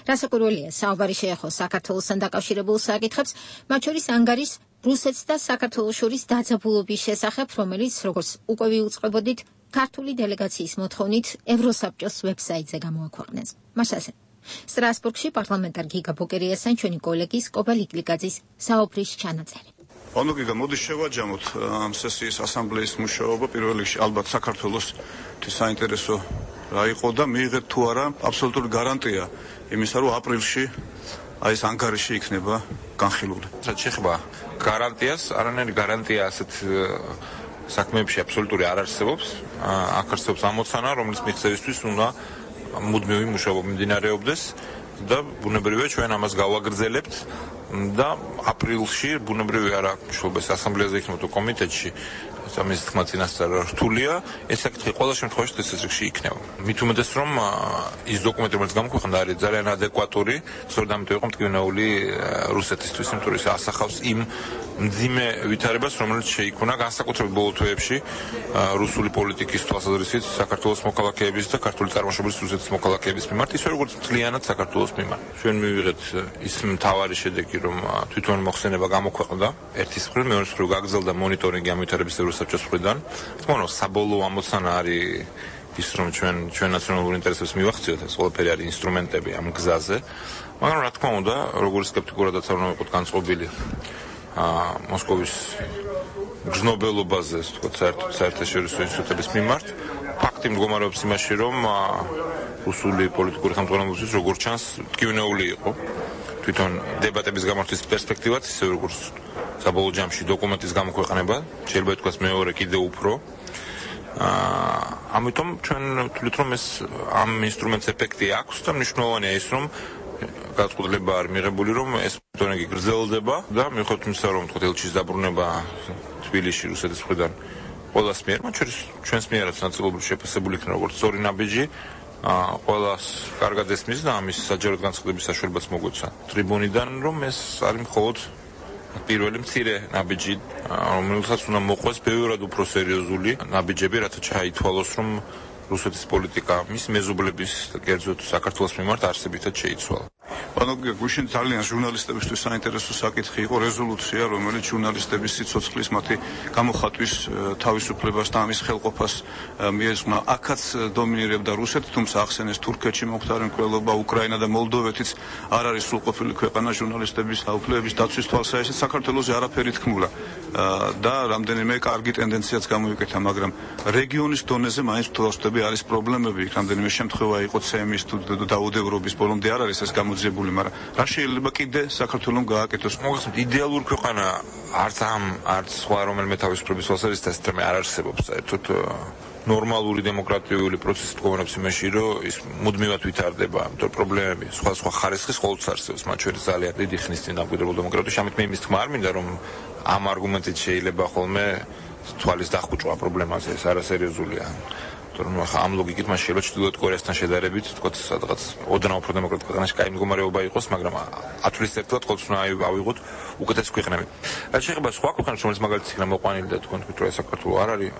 რასაკვირველია, საუბარი შეეხო საქართველოსთან დაკავშირებულ საკითხებს, მათ შორის ანგარის რუსეთს და საქართველოს შორის დაძაბულობის შესახებ, რომელიც, როგორც უკვე ვიუწყებოდით, ქართული დელეგაციის მოთხოვნით ევროსაბჭოს ვებსაიტზე გამოაქვეყნეს. მასაზე სტრასბურგში პარლამენტარ გიგა ბოკერიასთან ჩვენი კოლეგის კობა ლიკლიკაძის საუბრის ჩანაწერი. ანუ გიგა, მოდი შევაჯამოთ ამ სესიის ასამბლეის მუშაობა. პირველ რიგში ალბათ საქართველოს საინტერესო რა იყო და მიიღეთ თუ არა აბსოლუტური გარანტია იმისა, რომ აპრილში აი ეს ანგარიში იქნება განხილული. რაც შეეხება გარანტიას, არანაირი გარანტია ასეთ საქმეებში აბსოლუტური არ არსებობს. აქ არსებობს ამოცანა, რომლის მიღწევისთვის უნდა მუდმივი მუშაობა მიმდინარეობდეს და ბუნებრივია ჩვენ ამას გავაგრძელებთ და აპრილში ბუნებრივია არა მშობლების ასამბლეაზე იქნება კომიტეტში ამის თქმა წინასწარ რთულია, ეს საკითხი ყველა შემთხვევაში წესრიგში იქნება. მით უმეტეს რომ ის დოკუმენტი, რომელიც გამოქვეყნდა, არის ძალიან ადეკვატური, სწორედ ამიტომ იყო მტკივნეული რუსეთისთვის, იმიტომ რომ ის ასახავს იმ მძიმე ვითარებას, რომელიც შეიქმნა განსაკუთრებით ბოლო თვეებში რუსული პოლიტიკის თვალსაზრისით საქართველოს მოქალაქეების და ქართული წარმოშობის რუსეთის მოქალაქეების მიმართ, ისე როგორც მთლიანად საქართველოს მიმართ. ჩვენ მივიღეთ ის მთავარი შედეგი, რომ თვითონ მოხსენება გამოქვეყნდა, ერთის მხრივ, მეორეს მხრივ გაგრძელდა მონიტორინგი ამ ვითარების საბჭოს მხრიდან. თქმა უნდა, საბოლოო ამოცანა არის ის, რომ ჩვენ ჩვენ ნაციონალურ ინტერესებს მივახციოთ, ეს ყველაფერი არის ინსტრუმენტები ამ გზაზე. მაგრამ რა თქმა უნდა, როგორც სკეპტიკურადაც არ უნდა ვიყოთ განწყობილი მოსკოვის გრძნობელობაზე, ასე ვთქვათ, საერთაშორისო ინსტიტუტების მიმართ. ფაქტი მდგომარეობს იმაში, რომ რუსული პოლიტიკური ხელმძღვანელობისთვის როგორც ჩანს, მტკივნეული იყო. თვითონ დებატების გამართვის პერსპექტივაც, ისე როგორც საბოლოო ჯამში დოკუმენტის გამოქვეყნება, შეიძლება ითქვას მეორე კიდევ უფრო. ამიტომ ჩვენ ვთვლით, რომ ეს ამ ინსტრუმენტს ეფექტი აქვს და მნიშვნელოვანია ის, რომ განწყობილება არ მიღებული, რომ ეს მონიტორინგი გრძელდება და მიუხედავად იმისა, რომ თქო ელჩის დაბრუნება თბილისში რუსეთის მხრიდან ყველას მიერ, მათ შორის ჩვენს მიერაც ნაწილობრივ შეფასებული იქნება როგორც სწორი ნაბიჯი, ყველას კარგად ესმის და ამის საჯაროდ განცხადების საშუალებაც მოგვეცა ტრიბუნიდან, რომ ეს არის მხოლოდ პირველი მცირე ნაბიჯი, რომელსაც უნდა მოყვეს ბევრად უფრო სერიოზული ნაბიჯები, რათა ჩაითვალოს, რომ რუსეთის პოლიტიკა მის მეზობლების და კერძოდ საქართველოს მიმართ არსებითად შეიცვალა. ანუ გუშინ ძალიან ჟურნალისტებისთვის საინტერესო საკითხი იყო რეზოლუცია, რომელიც ჟურნალისტების სიცოცხლის მათი გამოხატვის თავისუფლებას და ამის ხელყოფას მიეძღვნა. აქაც დომინირებდა რუსეთი, თუმცა ახსენეს თურქეთში მომხდარი მკვლელობა, უკრაინა და მოლდოვეთიც არ არის სრულყოფილი ქვეყანა ჟურნალისტების უფლებების დაცვის თვალსაჩინო. საქართველოს არაფერი თქმულა და რამდენიმე კარგი ტენდენციაც გამოიკეთა, მაგრამ რეგიონის დონეზე მაინც თვალსწრაფი არის პრობლემები. რამდენიმე შემთხვევა იყო ცემის თუ დაუდევრობის, ბოლომდე არ არის ეს გამოძიებული, მაგრამ რა შეიძლება კიდე საქართველოს გააკეთოს? მოგესმით, იდეალური ქვეყანა არც ამ, არც სხვა რომელიმე თავისუფლების თვალსაზრისით თემე არ არსებობს. საერთოდ ნორმალური დემოკრატიული პროცესი მდგომარეობს იმაში, რომ ის მუდმივად ვითარდება, ამიტომ პრობლემები სხვა სხვა ხარისხის ყოველთვის არსებობს, მათ შორის ძალიან დიდი ხნის წინ დამკვიდრებულ დემოკრატიაში. ამით მე იმის თქმა არ მინდა, რომ ამ არგუმენტით შეიძლება ხოლმე თვალის დახუჭვა პრობლემაზე, ეს არასერიოზულია. რომ ახლა ამ ლოგიკით მას შეიძლება ჩრდილოეთ კორეასთან შედარებით, თქოთ, სადღაც ოდნავ უფრო დემოკრატიულ ქვეყანაში კაი მდგომარეობა იყოს, მაგრამ ათვლის ერთად ყოველთვის უნდა ავიღოთ უკეთესი ქვეყნები. რაც შეეხება სხვა ქვეყნებს, რომელიც მაგალითად იქნება მოყვანილი და თქვენ თქვით, რომ საქართველოს არ არის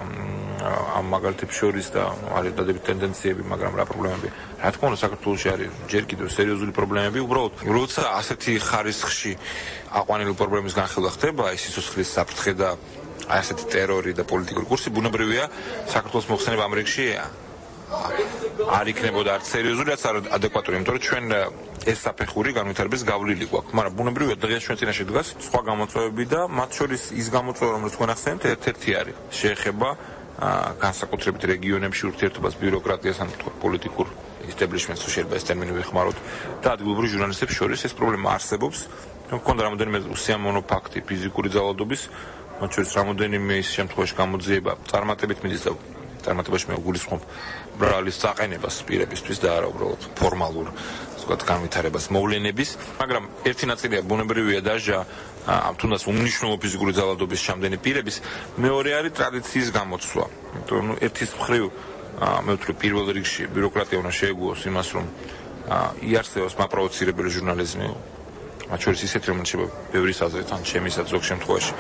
ამ მაგალითებს შორის და არის დადებით ტენდენციები, მაგრამ რა პრობლემები? რა თქმა უნდა, საქართველოში არის ჯერ კიდევ სერიოზული პრობლემები, უბრალოდ როცა ასეთი ხარისხში აყვანილი პრობლემის განხილვა ხდება, ის სიცოცხლის საფრთხე და აი ასეთი ტერორი და პოლიტიკური კურსი, ბუნებრივია საქართველოს მოხსენება ამ რიგში არ იქნებოდა არც სერიოზული, არც ადეკვატური, იმიტომ რომ ჩვენ ეს საფეხური განვითარების გავლილი გვაქვს, მაგრამ ბუნებრივია დღეს ჩვენ წინაშე დგას სხვა გამოწვევები და მათ შორის ის გამოწვევა, რომელიც თქვენ ახსენეთ, ერთ-ერთი არის. შეეხება განსაკუთრებით რეგიონებში ურთიერთობას ბიუროკრატიას ან თქო პოლიტიკურ establishments-ს შეიძლება ეს ტერმინი ვიხმაროთ და ადგილობრივ ჟურნალისტებს შორის ეს პრობლემა არსებობს. მქონდა რამოდენიმე უსიამოვნო ფაქტი ფიზიკური ძალადობის, მათ შორის რამოდენიმე ის შემთხვევაში გამოძიება წარმატებით მიდის და წარმატებაში მე გულისხმობ ბრალის წაყენებას პირებისთვის და არა უბრალოდ ფორმალურ ვთქვათ განვითარებას მოვლენების, მაგრამ ერთი ნაწილია ბუნებრივია დაჟა თუნდაც უმნიშვნელო ფიზიკური ძალადობის ჩამდენი პირების, მეორე არის ტრადიციის გამოცვლა. იმიტომ რომ ერთის მხრივ მე ვთვლი პირველ რიგში ბიუროკრატია უნდა შეეგუოს იმას, რომ იარსებობს მაპროვოცირებელი ჟურნალიზმი, მათ შორის ისეთი, რომელიც შეიძლება ბევრის აზრით ან ჩემისაც ზოგ შემთხვევაში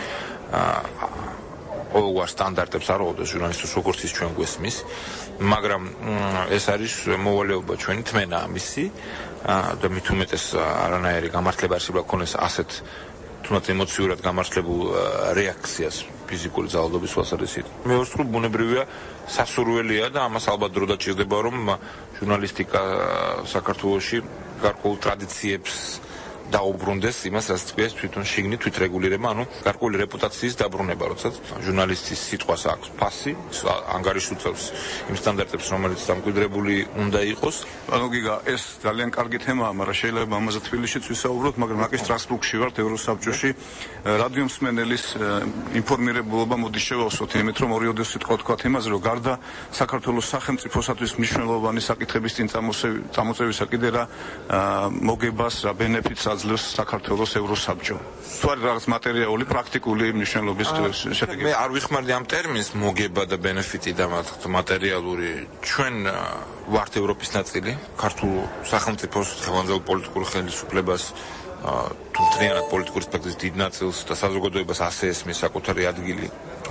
ყოველგვარ სტანდარტებს არ უდევს ჟურნალისტებს, როგორც ის ჩვენ გვესმის, მაგრამ ეს არის მოვალეობა ჩვენი თმენა ამისი და მით უმეტეს არანაირი გამართლება არ შეიძლება ქონდეს ასეთ თუნდაც ემოციურად გამართლებულ რეაქციას ფიზიკური ძალადობის თვალსაზრისით. მეორე მხრივ ბუნებრივია სასურველია და ამას ალბათ დრო დაჭირდება, რომ ჟურნალისტიკა საქართველოში გარკვეულ ტრადიციებს დაუბრუნდეს იმას, რაც თქვია თვითონ შიგნით თვითრეგულირება, ანუ გარკვეული რეპუტაციის დაბრუნება, როდესაც ჟურნალისტის სიტყვას აქვს ფასი, ანგარიში უწევს იმ სტანდარტებს, რომელიც დამკვიდრებული უნდა იყოს. ანუ გიგა, ეს ძალიან კარგი თემაა, მაგრამ შეიძლება ამაზე თბილისშიც ვისაუბროთ, მაგრამ აკი სტრასბურგში ვართ ევროსაბჭოში. რადიო მსმენელის ინფორმირებულობა მოდის შევავსოთ იმით, რომ ორი ოდესით თქვა იმაზე, რომ გარდა საქართველოს სახელმწიფოსათვის მნიშვნელოვანი საკითხების წინ წამოწევისა კიდე რა მოგებას, რა ბენეფიტს აძლევს საქართველოს ევროსაბჭო. თუ არის რაღაც მატერიალური, პრაქტიკული მნიშვნელობის შედეგი. მე არ ვიხმარდი ამ ტერმინს მოგება და ბენეფიტი და მატერიალური. ჩვენ ვართ ევროპის ნაწილი, ქართულ სახელმწიფოს ხელმძღვანელ პოლიტიკურ ხელისუფლებას თუ მთლიანად პოლიტიკური სპექტრის დიდ ნაწილს და საზოგადოებას ასე ესმის საკუთარი ადგილი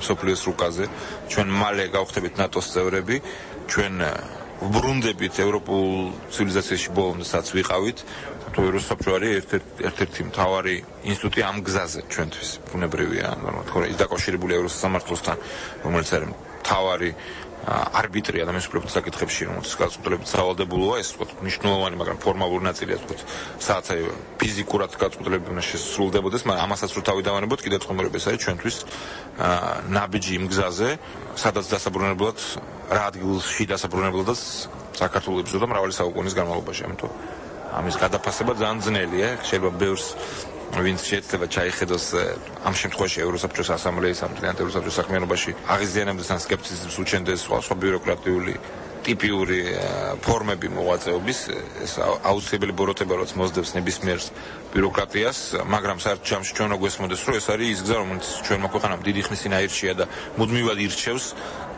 სოფლიოს რუკაზე. ჩვენ მალე გავხდებით ნატოს წევრები, ჩვენ ვბრუნდებით ევროპულ ცივილიზაციაში ბოლომდე სადაც ვიყავით. თუ ევროსაბჭო არის ერთ-ერთი მთავარი ინსტიტუტი ამ გზაზე ჩვენთვის ბუნებრივია, თორე ის დაკავშირებულია ევროსამართლოსთან, რომელიც არის მთავარი არბიტრი ადამიანის უფლებათა საკითხებში, რომელსაც გაწყვეტილებით სავალდებულოა, ეს თქო მნიშვნელოვანი, მაგრამ ფორმალური ნაწილია, თქო, სადაც აი ფიზიკურად გაწყვეტილებით უნდა შესრულდებოდეს, მაგრამ ამასაც რო თავი დავანებოთ, კიდევ წყომერები ეს არის ჩვენთვის ნაბიჯი იმ გზაზე, სადაც დასაბრუნებლად რა ადგილში დასაბრუნებლადაც საქართველოს იბრძოდა მრავალი საუკუნის განმავლობაში, ამიტომ ამის გადაფასება ძალიან ძნელია, შეიძლება ბევრს ვინც შეიძლება ჩაიხედოს ამ შემთხვევაში ევროსაბჭოს ასამბლეის ამ მთლიანად ევროსაბჭოს საქმიანობაში აღიზიანებდეს ან სკეპტიციზმს უჩენდეს სხვა სხვა ბიუროკრატიული ტიპიური ფორმები მოღვაწეობის, ეს აუცილებელი ბოროტება, რაც მოსდევს ნებისმიერ ბიუროკრატიას, მაგრამ საერთოდ ჯამში ჩვენ რო გვესმოდეს, რომ ეს არის ის გზა, რომელიც ჩვენმა ქვეყანამ დიდი ხნის წინ აირჩია და მუდმივად ირჩევს,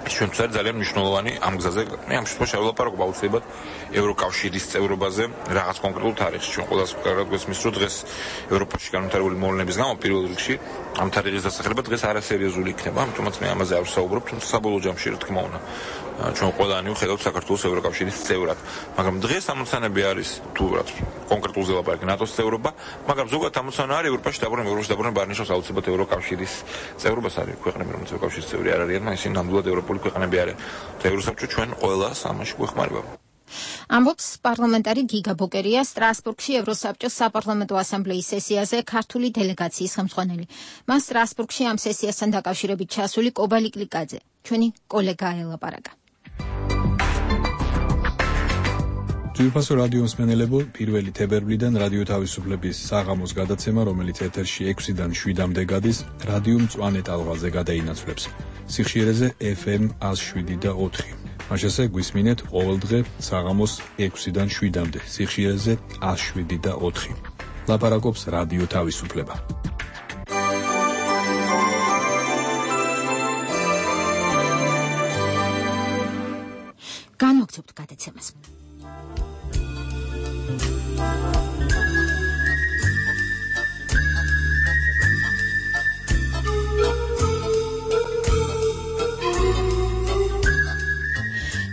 ჩვენთვის არის ძალიან მნიშვნელოვანი ამ გზაზე. მე ამ შემთხვევაში ვლაპარაკობ აუცილებლად ევროკავშირის წევრობაზე რაღაც კონკრეტულ თარიღში. ჩვენ ყველას კარგად გვესმის, რომ დღეს ევროპაში განვითარებული მოვლენების გამო პირველ რიგში ამ თარიღის დასახელება დღეს არასერიოზული იქნება, ამიტომაც მე ამაზე არ ვსაუბრობ, თუმცა საბოლოო ჯამში რა თქმა უნდა ჩვენ ყველანი ვხედავთ საქართველოს ევროკავშირის წევრად, მაგრამ დღეს ამოცანები არის თუ რაც კონკრეტულზე ლაპარაკი ნატოს წევრობა, მაგრამ ზოგადად ამოცანა არის ევროპაში დაბრუნება, ევროპაში დაბრუნება არ ნიშნავს აუცილებლად ევროკავშირის წევრობას, არის ქვეყნები, რომელიც ევროკავშირის წევრი არ არიან, მაგრამ ისინი ნამდვილად ევროპული ქვეყნები არიან. და ევროსაბჭო ჩვენ ყველას ამაში გვეხმარება. ამბობს პარლამენტარი გიგა ბოკერია სტრასბურგში ევროსაბჭოს საპარლამენტო ასამბლეის სესიაზე ქართული დელეგაციის ხელმძღვანელი. მას სტრასბურგში ამ სესიასთან დაკავშირებით ჩასული კობალი კლიკაძე, ჩვენი კოლეგა ელაპარაკა. ძვირფასო რადიო მსმენელებო, პირველი თებერვლიდან რადიო თავისუფლების საღამოს გადაცემა, რომელიც ეთერში ექვსიდან შვიდამდე გადის, რადიო მწვანე ტალღაზე გადაინაცვლებს. სიხშირეზე ეფ ემ ათას შვიდი და ოთხი. მაშასე გვისმინეთ ყოველდღე საღამოს ექვსიდან შვიდამდე, სიხშირეზე ათას შვიდი და ოთხი. ლაპარაკობს რადიო თავისუფლება. განვაგრძობთ გადაცემას.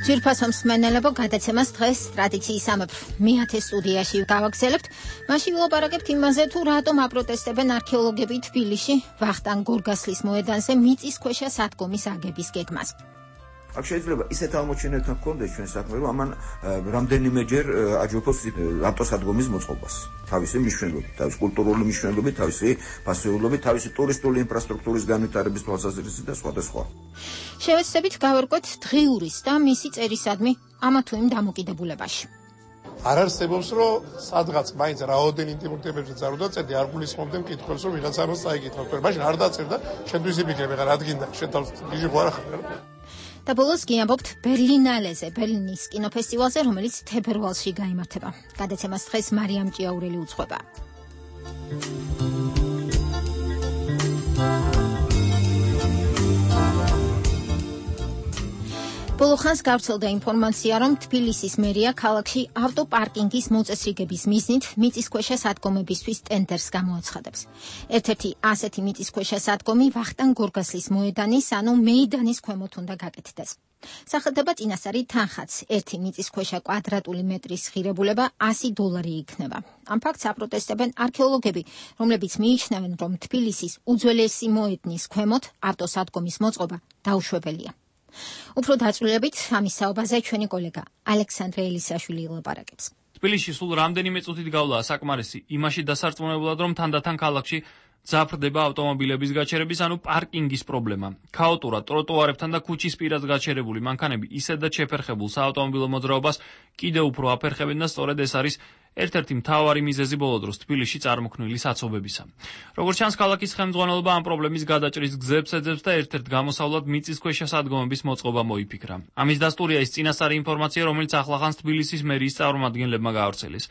ძვირფასო მსმენელებო, გადაცემას დღეს ტრადიციისამებრ მეათე სტუდიაში გავაგრძელებთ. მაშინ ვილაპარაკებთ იმაზე, თუ რატომ აპროტესტებენ არქეოლოგები თბილისში ვახტანგ გორგასლის მოედანზე მიწისქვეშა სადგომის აგების გეგმას. აქ შეიძლება ისეთ აღმოჩენებთან გქონდეს ჩვენ საქმე, რომ ამან რამდენიმეჯერ აჯობოს ავტოსადგომის მოწყობას. თავისი მნიშვნელობით, თავისი კულტურული მნიშვნელობით, თავისი ფასეულობით, თავისი ტურისტული ინფრასტრუქტურის განვითარების თვალსაზრისით და სხვა და სხვა. შევეცდებით გავერკვეთ დღიურის და მისი წერისადმი ამა თუ იმ დამოკიდებულებაში. არ არსებობს, რომ სადღაც მაინც რაოდენ ინტიმურ თემებზე წარუდა წერდი, არ გულისხმობდნენ მკითხველს, რომ ვიღაცა ამას წაიკითხავს. მაშინ არ დაწერდა, შენთვის იფიქრებ, ეხლა რადგინდა, შენ თავს გიჟი ხო არ ახარ. და ბოლოს კი ამბობთ ბერლინალეზე, ბერლინის კინოფესტივალზე, რომელიც თებერვალში გაიმართება. გადაცემას დღეს მარიამ ჭიაურელი უძღვება. ბოლოხანს გავრცელდა ინფორმაცია, რომ თბილისის მერია ქალაქში ავტოპარკინგის მოწესრიგების მიზნით მიწისქვეშა სადგომებისთვის ტენდერს გამოაცხადებს. ერთ-ერთი ასეთი მიწისქვეშა სადგომი ვახტანგ გორგასლის მოედანის, ანუ მეიდანის ქვემოთ უნდა გაკეთდეს. სახელდება წინასწარი თანხაც, ერთი მიწისქვეშა კვადრატული მეტრის ღირებულება ასი დოლარი იქნება. ამ ფაქტს აპროტესტებენ არქეოლოგები, რომლებიც მიიჩნევენ, რომ თბილისის უძველესი მოედნის ქვემოთ ავტოსადგომის მოწყობა დაუშვებელია. უფრო დაწვრილებით ამის საუბარზე ჩვენი კოლეგა ალექსანდრე ელისაშვილი ელაპარაკებს. თბილისში სულ რამდენიმე წუთით გავლაა საკმარისი იმაში დასარწმუნებლად, რომ თანდათან ქალაქში ძაფრდება ავტომობილების გაჩერების, ანუ პარკინგის პრობლემა. ქაოტურად ტროტუარებთან და ქუჩის პირას გაჩერებული მანქანები ისედაც შეფერხებულ საავტომობილო მოძრაობას კიდევ უფრო აფერხებენ და სწორედ ეს არის ერთ-ერთი მთავარი მიზეზი ბოლო დროს თბილისში წარმოქმნილი საცობებისა. როგორც ჩანს, ქალაქის ხელმძღვანელობა ამ პრობლემის გადაჭრის გზებს ეძებს და ერთ-ერთ გამოსავლად მიწისქვეშა სადგომების მოწყობა მოიფიქრა. ამის დასტურია ის წინასწარი ინფორმაცია, რომელიც ახლახანს თბილისის მერიის წარმომადგენლებმა გაავრცელეს.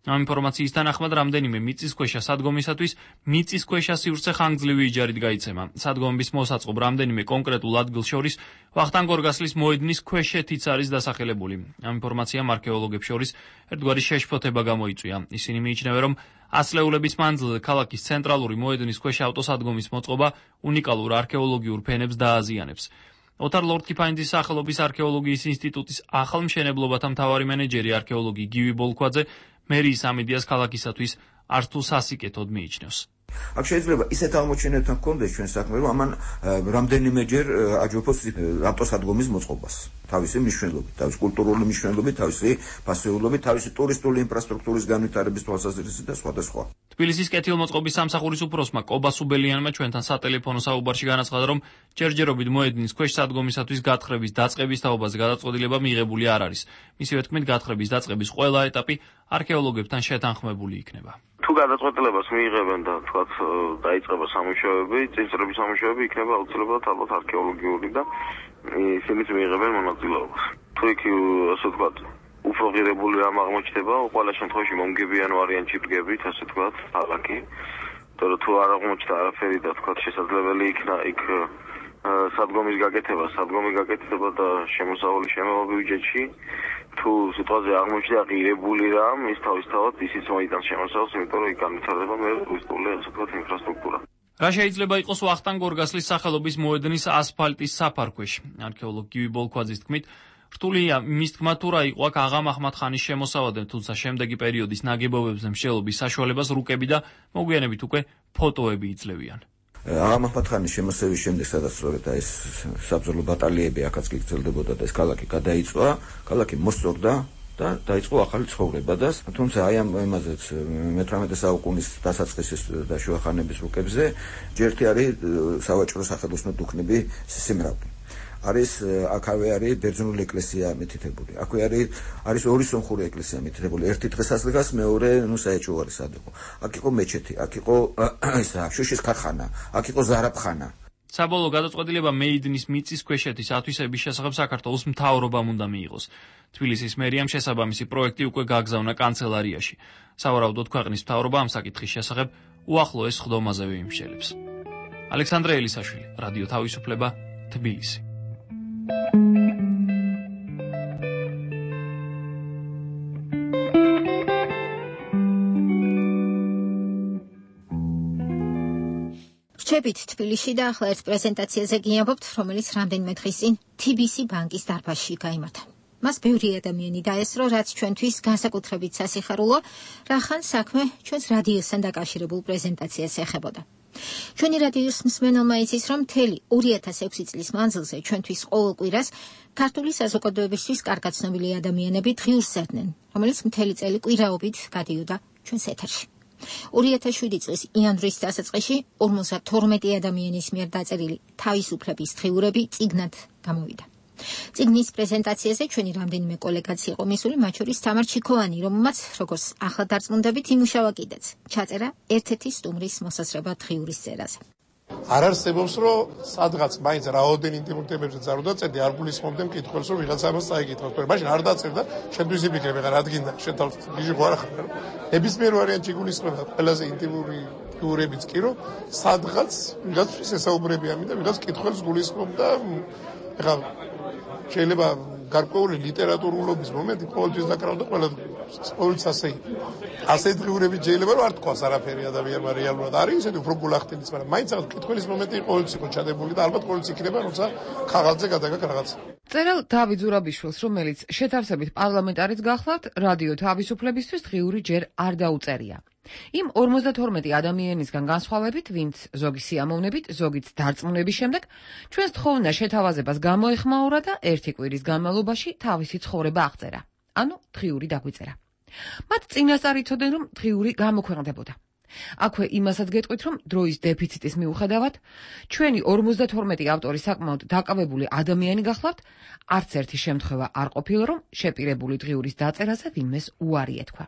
ამ ინფორმაციის თანახმად რამდენიმე მიწისქვეშა სადგომისათვის მიწისქვეშა სივრცე ხანგრძლივი იჯარით გაიცემა. სადგომების მოსაწყობ რამდენიმე კონკრეტულ ადგილს შორის ვახტანგ-გორგასლის მოედნის ქვეშეთიც არის დასახელებული. ამ ინფორმაციამ არქეოლოგებს შორის ერთგვარი შეშფოთება გამოიწვია. ისინი მიიჩნევენ, რომ ასლეულების მანძილზე ქალაქის ცენტრალური მოედნის ქვეშ ავტოსადგომის მოწყობა უნიკალურ არქეოლოგიურ ფენებს დააზიანებს. ოთარ ლორდ-კიფანიძის სახელობის არქეოლოგიის ინსტიტუტის ახალმშენებლობათა მთავარი მენეჯერი არქეოლოგი გივი ბოლქვაძე მერიის ამედიას ქალაქისათვის არც თუ სასიკეთოდ მიიჩნევს. აქ შეიძლება ისეთ აღმოჩენებთან გქონდეს ჩვენ საქმე, რომ ამან რამდენიმეჯერ აჯობოს ავტოსადგომის მოწყობას. თავისი მნიშვნელობით, თავისი კულტურული მნიშვნელობით, თავისი ფასეულობით, თავისი ტურისტული ინფრასტრუქტურის განვითარების თვალსაზრისით და სხვა და სხვა. თბილისის კეთილმოწყობის სამსახურის უფროსმა კობა სუბელიანმა ჩვენთან სატელეფონო საუბარში განაცხადა, რომ ჯერჯერობით მოედნის ქვეშ სადგომისათვის გათხრების დაწყების თაობაზე გადაწყვეტილება მიღებული არ არის. მისივე თქმით, გათხრების დაწყების ყველა ეტაპი არქეოლოგებთან შეთანხმებული იქნება. თუ გადაწყვეტილებას მიიღებენ და თქვათ დაიწყება სამუშაოები, წინსწრების სამუშაოები იქნება აუცილებლად ალბათ არქეოლოგიური და ისინიც მიიღებენ მონაწილეობას. თუ იქ ასე ვთქვათ, უფრო ღირებული რამ აღმოჩნდება, ყველა შემთხვევაში მომგებიანი ვარიანტი დგებით, ასე ვთქვათ, ქალაქი. თორე თუ არ აღმოჩნდა არაფერი და თქვათ შესაძლებელი იქნა იქ სადგომის გაკეთება, სადგომი გაკეთება და შემოსავალი შემოვა ბიუჯეტში. თუ სიტუაცია აღმოჩნდა ღირებული რამ, ის თავისთავად ისიც მოიტანს შემოსავალს, იმიტომ რომ იქ განვითარდება მე ტურისტული ასე ვთქვათ ინფრასტრუქტურა. რა შეიძლება იყოს ვახტანგ-გორგასლის სახელობის მოედნის ასფალტის საფარქვეში? არქეოლოგი გივი ბოლქვაძის თქმით, რთულია მის თქმა თუ რა იყო აქ აღა მაჰმად-ხანის შემოსავალი, თუმცა შემდეგი პერიოდის ნაგებობებზე მსჯელობის საშუალებას რუკები და მოგვიანებით უკვე ფოტოები იძლევიან. აღა მაჰმად-ხანის შემოსევის შემდეგ, სადაც სწორედ ეს საბრძოლო ბატალიები აქაც გრძელდებოდა და ეს ქალაქი გადაიწვა, ქალაქი მოსწორდა და დაიწყო ახალი ცხოვრება და თუმცა აი ამ იმაზეც მეთვრამეტე საუკუნის დასაწყისის და შუახანების რუკებზე ჯერთი არის სავაჭრო სახელოსნო დუქნები სიმრავლე. არის აქავე არის ბერძნული ეკლესია მითითებული. აქვე არის არის ორი სომხური ეკლესია მითითებული. ერთი დღესასწრას, მეორე ნუ საეჭვო არის სად იყო. აქ იყო მეჩეთი, აქ იყო ისა შუშის ქარხანა, აქ იყო ზარაფხანა. საბოლოო გადაწყვეტილება მეიდნის მიწისქვეშეთის ათვისების შესახებ საქართველოს მთავრობამ უნდა მიიღოს. თბილისის მერიამ შესაბამისი პროექტი უკვე გააგზავნა კანცელარიაში. სავარაუდოდ ქვეყნის მთავრობა ამ საკითხის შესახებ უახლოეს ხდომაზევე იმსჯელებს. ალექსანდრე ელისაშვილი, რადიო თავისუფლება, თბილისი. რჩებით თბილისში და ახლა ერთ პრეზენტაციაზე გიამბობთ, რომელიც რამდენიმე დღის წინ თი ბი სი ბანკის დარბაზში გაიმართა. მას ბევრი ადამიანი დაესწრო, რაც ჩვენთვის განსაკუთრებით სასიხარულო, რახან საქმე ჩვენს რადიოსთან დაკავშირებულ პრეზენტაციას ეხებოდა. ჩვენი რადიოს მსმენელმა იცის, რომ მთელი ორი ათას ექვსი წლის მანძილზე ჩვენთვის ყოველ კვირას ქართული საზოგადოებისთვის კარგად ცნობილი ადამიანები დღიურს ზრდნენ, რომელიც მთელი წელი კვირაობით გადიოდა ჩვენს ეთერში. ორი ათას შვიდი წლის იანვრის დასაწყისში ორმოცდათორმეტი ადამიანის მიერ დაწერილი თავისუფლების დღიურები წიგნად გამოვიდა. წიგნის პრეზენტაციაზე ჩვენი რამდენიმე კოლეგაც იყო მისული, მათ შორის თამარ ჩიქოვანი, რომელმაც, როგორც ახლა დარწმუნდებით, იმუშავა კიდეც. ჩაწერა ერთ-ერთი სტუმრის მოსასწრება დღიურის წერაზე. არ არსებობს, რომ სადღაც მაინც რაოდენ ინტიმურ თემებზე წარუდა წერდი, არ გულისხმობდნენ მკითხველს, რომ ვიღაცა ამას წაიკითხავს. მაშინ არ დაწერდა, შენთვის იფიქრე, ხა რა დგინდა, შენ თავს გიჟი ხო არ ხარ. ნებისმიერ ვარიანტში გულისხმება ყველაზე ინტიმური დღიურებიც კი, რომ სადღაც ვიღაცის ესაუბრებიან და ვიღაც მკითხველს გულისხმობდა, ხა შეიძლება გარკვეული ლიტერატურულობის მომენტი ყოველთვის დაკრავდა ყველა ყოველთვის ასე იყო. ასე დღიურები შეიძლება რომ არ თქვას არაფერი ადამიანმა რეალურად არის ისეთი უფრო გულახდენის, მაგრამ მაინც რაღაც მკითხველის მომენტი ყოველთვის იყო ჩადებული და ალბათ ყოველთვის იქნება, როცა ხაღალზე გადაგაკ რაღაცა. წერალ დავით ზურაბიშვილს, რომელიც შეთავსებით პარლამენტარიც გახლავთ, რადიო თავისუფლებისთვის დღიური ჯერ არ დაუწერია. იმ ორმოცდათორმეტი ადამიანისგან განსხვავებით, ვინც ზოგი სიამოვნებით, ზოგიც დარწმუნების შემდეგ, ჩვენს თხოვნა შეთავაზებას გამოეხმაურა და ერთი კვირის განმავლობაში თავისი ცხოვრება აღწერა. ანუ დღიური დაგვიწერა. მათ წინასწარ იცოდნენ, რომ დღიური გამოქვეყნდებოდა. აქვე იმასაც გეტყვით, რომ დროის დეფიციტის მიუხედავად, ჩვენი ორმოცდათორმეტი ავტორი საკმაოდ დაკავებული ადამიანი გახლავთ, არც ერთი შემთხვევა არ ყოფილა, რომ შეპირებული დღიურის დაწერაზე ვინმეს უარი ეთქვა.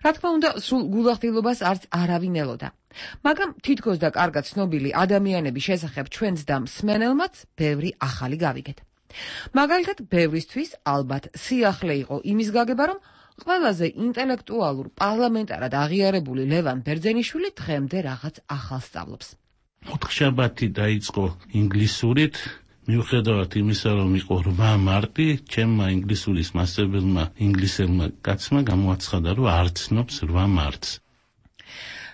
რა თქმა უნდა, სრულ გულახდილობას არც არავინ ელოდა. მაგრამ თითქოს და კარგად ცნობილი ადამიანების შესახებ ჩვენს და მსმენელმაც ბევრი ახალი გავიგეთ. მაგალითად, ბევრისთვის ალბათ სიახლე იყო იმის გაგება, რომ ყველაზე ინტელექტუალურ პარლამენტარად აღიარებული ლევან ბერძენიშვილი დღემდე რაღაც ახალს სწავლობს. ოთხშაბათი დაიწყო ინგლისურით, მიუხედავად იმისა, რომ იყო რვა მარტი, ჩემმა ინგლისურის მასწავლებელმა ინგლისელმა კაცმა გამოაცხადა, რომ არ ცნობს რვა მარტს.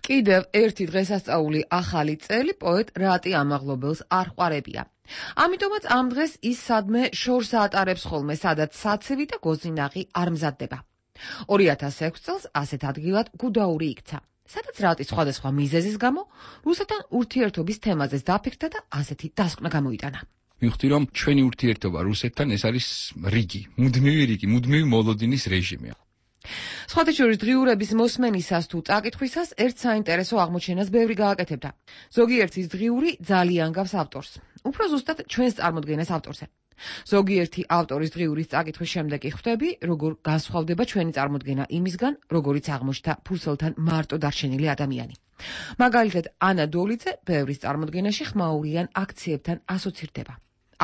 კიდევ ერთი დღესასწაული ახალი წელი პოეტ რატი ამაღლობელს არ ყვარებია. ამიტომაც ამ დღეს ის სადმე შორს ატარებს ხოლმე, სადაც საცივი და გოზინაღი არ მზადდება. ორი ათას ექვსი წელს ასეთ ადგილად გუდაური იქცა, სადაც რატი სხვადასხვა მიზეზის გამო რუსეთთან ურთიერთობის თემაზეც დაფიქრდა და ასეთი დასკვნა გამოიტანა. მივხვდი, რომ ჩვენი ურთიერთობა რუსეთთან ეს არის რიგი, მუდმივი რიგი, მუდმივი მოლოდინის რეჟიმი. სხვათა შორის დღიურების მოსმენისას თუ წაკითხვისას ერთ საინტერესო აღმოჩენას ბევრი გააკეთებდა. ზოგიერთის დღიური ძალიან გავს ავტორს, უფრო ზუსტად ჩვენს წარმოდგენას ავტორზე. ზოგიერთი ავტორის დღიურის წაკითხვის შემდეგ ხვდები, როგორ განსხვავდება ჩვენი წარმოდგენა იმისგან, როგორიც აღმოჩნდა ფურცელთან მარტო დარჩენილი ადამიანი. მაგალითად, ანა დოლიძე ბევრის წარმოდგენაში ხმაურიან აქციებთან ასოცირდება.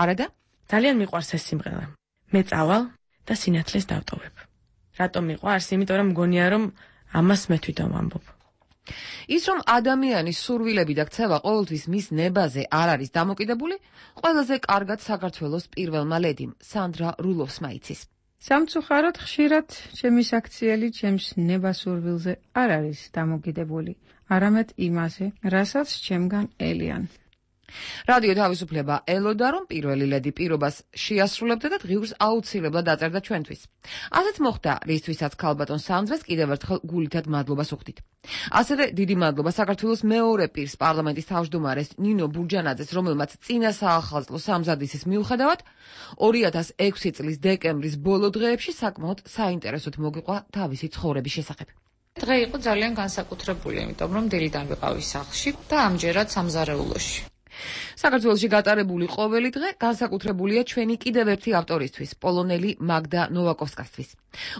არადა? ძალიან მიყვარს ეს სიმღერა. მე წავალ და სინათლეს დავტოვებ. რატომ მიყვარს? იმიტომ რომ მგონია რომ ამას მე თვითონ ვამბობ. ის რომ ადამიანის სურვილები და ქცევა ყოველთვის მის ნებაზე არ არის დამოკიდებული, ყველაზე კარგად საქართველოს პირველმა ლედიმ სანდრა რულოვსმა იცის. სამწუხაროდ ხშირად ჩემი საქციელი ჩემს ნებასურვილზე არ არის დამოკიდებული, არამედ იმაზე, რასაც ჩემგან ელიან. რადიო თავისუფლება ელოდა, რომ პირველი ლედი პირობას შეასრულებდა და დღიურს აუცილებლად დაწერდა ჩვენთვის. ასეც მოხდა, რისთვისაც ქალბატონ სამძვეს კიდევ ერთხელ გულითად მადლობას უხდით. ასევე დიდი მადლობა საქართველოს მეორე პირს, პარლამენტის თავმჯდომარეს ნინო ბურჯანაძეს, რომელმაც წინა საახალწლო სამზადისის მიუხედავად ორი ათას ექვსი წლის დეკემბრის ბოლო დღეებში საკმაოდ საინტერესოდ მოგიყვა თავისი ცხოვრების შესახებ. დღე იყო ძალიან განსაკუთრებული, იმიტომ რომ დილიდან ვიყავი სახლში და ამჯერად სამზარეულოში. საქართველოში გატარებული ყოველი დღე განსაკუთრებულია ჩვენი კიდევ ერთი ავტორისთვის, პოლონელი მაგდა ნოვაკოვსკასთვის.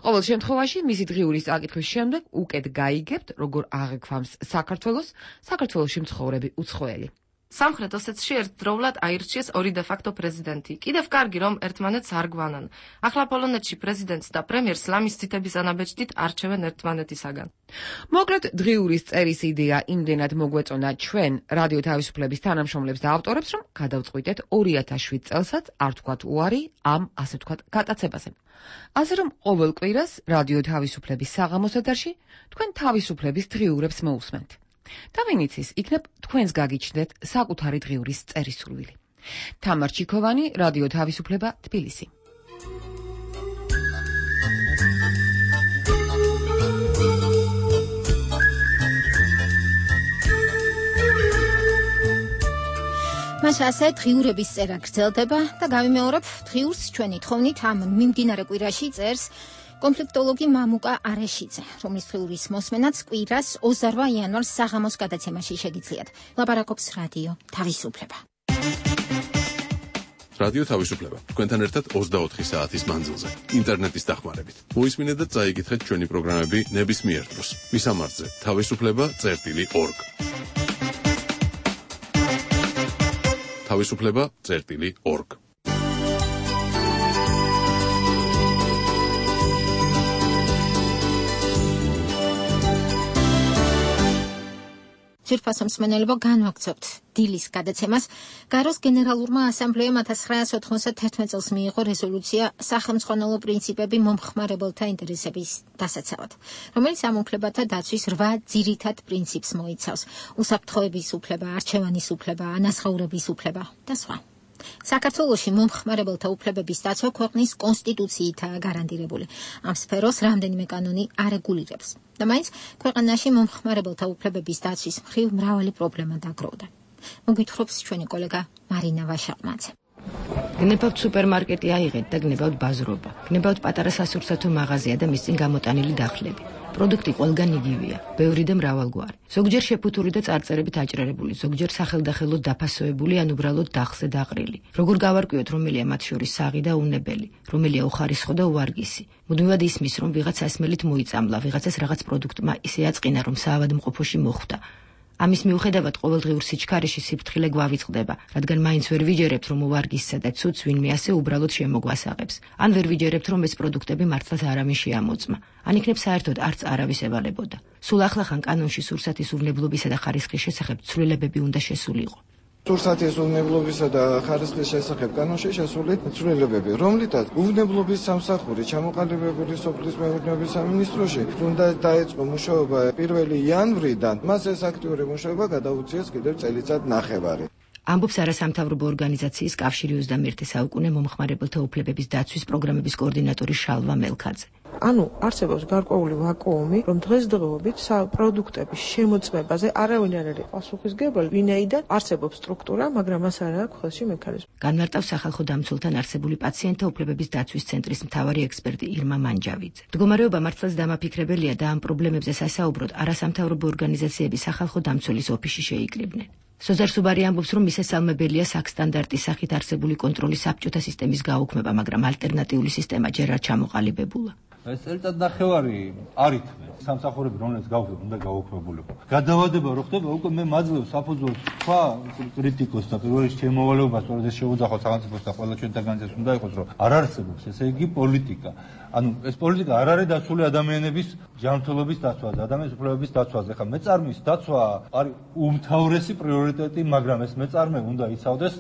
ყოველ შემთხვევაში, მისი დღიურის წაკითხვის შემდეგ უკეთ გაიგებთ, როგორ აღექვამს საქართველოს, საქართველოში მცხოვრები უცხოელი. სამხრეთ ოსეთში ერთდროულად აირჩიეს ორი დე-ფაქტო პრეზიდენტი. კიდევ კარგი, რომ ერთმანეთს არ გვანან. ახლა პოლონეთში პრეზიდენტს და პრემიერს ლამის ციტების ანაბეჭდით არჩევენ ერთმანეთისაგან. მოკლედ, დღიურის წერის იდეა იმდენად მოგვეწონა ჩვენ რადიო თავისუფლების თანამშრომლებს და ავტორებს, რომ გადავწყვიტეთ ორი ათას შვიდ წელსაც არ თქვათ უარი ამ, ასე ვთქვათ, გატაცებაზე. ასე რომ ყოველ კვირას რადიო თავისუფლების საღამოს ეთერში თქვენ თავისუფლების დღიურებს მოусმენთ. და ვინ იცის, იქნებ თქვენს გაგიჩნდეთ საკუთარი დღიურის წერის სურვილი. თამარ ჩიქოვანი, რადიო თავისუფლება, თბილისი. მას ასე დღიურების წერა გრძელდება და გავიმეორებ დღიურს ჩვენი თხოვნით ამ მიმდინარე კვირაში წერს კონფლიქტოლოგი მამუკა არეშიძე, რომლის დღიურის მოსმენაც კვირას ოცდარვა იანვარს საღამოს გადაცემაში შეგიძლიათ. ლაპარაკობს რადიო თავისუფლება. რადიო თავისუფლება. თქვენთან ერთად ოცდაოთხი საათის მანძილზე, ინტერნეტის დახმარებით. მოისმინეთ და წაიკითხეთ ჩვენი პროგრამები ნებისმიერ დროს. მისამართზე თავისუფლება წერტილი ორგ. თავისუფლება წერტილი ორგ. ძვირფასო მსმენელებო, განვაგრძობთ დილის გადაცემას. გაროს გენერალურმა ასამბლეამ ათას ცხრაასი ოთხმოცდათერთმეტ წელს მიიღო რეზოლუცია სახელმწიფო პრინციპები მომხმარებელთა ინტერესების დასაცავად, რომელიც ამ უფლებათა დაცვის რვა ძირითად პრინციპს მოიცავს: უსაფრთხოების უფლება, არჩევანის უფლება, ანაზღაურების უფლება და სხვა. საქართველოში მომხმარებელთა უფლებების დაცვა ქვეყნის კონსტიტუციითაა გარანტირებული. ამ სფეროს რამდენიმე კანონი არეგულირებს და მაინც ქვეყანაში მომხმარებელთა უფლებების დაცვის მხრივ მრავალი პრობლემა დაგროვდა. მოგვითხრობს ჩვენი კოლეგა მარინა ვაშაყმაძე. გნებავთ სუპერმარკეტი აიღეთ და გნებავთ ბაზრობა. გნებავთ პატარა სასურსათო მაღაზია და მის წინ გამოტანილი დახლები. პროდუქტი ყველგან იგივეა, ბევრი და მრავალგვარი. ზოგჯერ შეფუთური და წარწერებით აჭრერებული, ზოგჯერ სახელდახელოდ დაფასოებული ან უბრალოდ დახლზე დაყრილი. როგორ გავარკვიოთ, რომელია მათ შორის საღი და უნებელი, რომელია უხარისხო და უვარგისი. მუდმივად ისმის, რომ ვიღაც ასმელით მოიწამლა, ვიღაცას რაღაც პროდუქტმა ისე აწყინა, რომ საავადმყოფოში მოხვდა. ამის მიუხედავად ყოველდღიურ სიჩქარეში სიფრთხილე გვავიწყდება, რადგან მაინც ვერ ვიჯერებთ, რომ უვარგისსა და ცუდს ვინმე ასე უბრალოდ შემოგვასაღებს. ან ვერ ვიჯერებთ, რომ ეს პროდუქტები მართლაც არავინ შეამოწმა. ან იქნებ საერთოდ არც არავის ევალებოდა. სულ ახლახან კანონში სურსათის უვნებლობისა და ხარისხის შესახებ ცვლილებები უნდა შესულიყო. სურსათის უვნებლობისა და ხარისხის შესახებ კანონში შესული ცვლილებები, რომლითაც უვნებლობის სამსახური ჩამოყალიბებული სოფლის მეურნეობის სამინისტროში უნდა დაეწყო მუშაობა პირველი იანვრიდან, მას ეს აქტიური მუშაობა გადაუწიეს კიდევ წელიწად ნახევარი. ამბობს არასამთავრობო ორგანიზაციის კავშირი ოცდამეერთე საუკუნე მომხმარებელთა უფლებების დაცვის პროგრამების კოორდინატორი შალვა მელქაძე. ანუ არსებობს გარკვეული ვაკუუმი, რომ დღესდღეობით პროდუქტების შემოწმებაზე არავინ არ არის პასუხისმგებელი, ვინაიდან არსებობს სტრუქტურა, მაგრამ მას არ აქვს ხელში მექანიზმი. განმარტავს სახალხო დამცველთან არსებული პაციენტთა უფლებების დაცვის ცენტრის მთავარი ექსპერტი ირმა მანჯავიძე. მდგომარეობა მართლაც დამაფიქრებელია და ამ პრობლემებზე სასაუბროდ არასამთავრობო ორგანიზაციები სახალხო დამცველის ოფისში შეიკრიბნენ. სოზარ სუბარი ამბობს, რომ მისასალმებელია საქსტანდარტის სახით არსებული კონტროლის საბჭოთა სისტემის გაუქმება, მაგრამ ალტერნატიული სისტემა ჯერ არ ჩამოყალიბებულა. ეს წელიწად ნახევარი არ ითქმის სამსახურები, რომელიც გაუქმება, უნდა გაუქმებულიყო. გადავადება რო ხდება, უკვე მე მაძლევს საფუძველს თქვა კრიტიკოს და პირველ რიგში შემოვალეობას, სწორედ ეს შეუძახო სახელმწიფოს და ყველა ჩვენი ორგანიზაციას უნდა იყოს, რომ არ არსებობს ესე იგი პოლიტიკა. ანუ ეს პოლიტიკა არ არის დასული ადამიანების ჯანმრთელობის დაცვაზე, ადამიანის უფლებების დაცვაზე. ხა მეწარმის დაცვა არის უმთავრესი პრიორიტეტი, მაგრამ ეს მეწარმე უნდა იცავდეს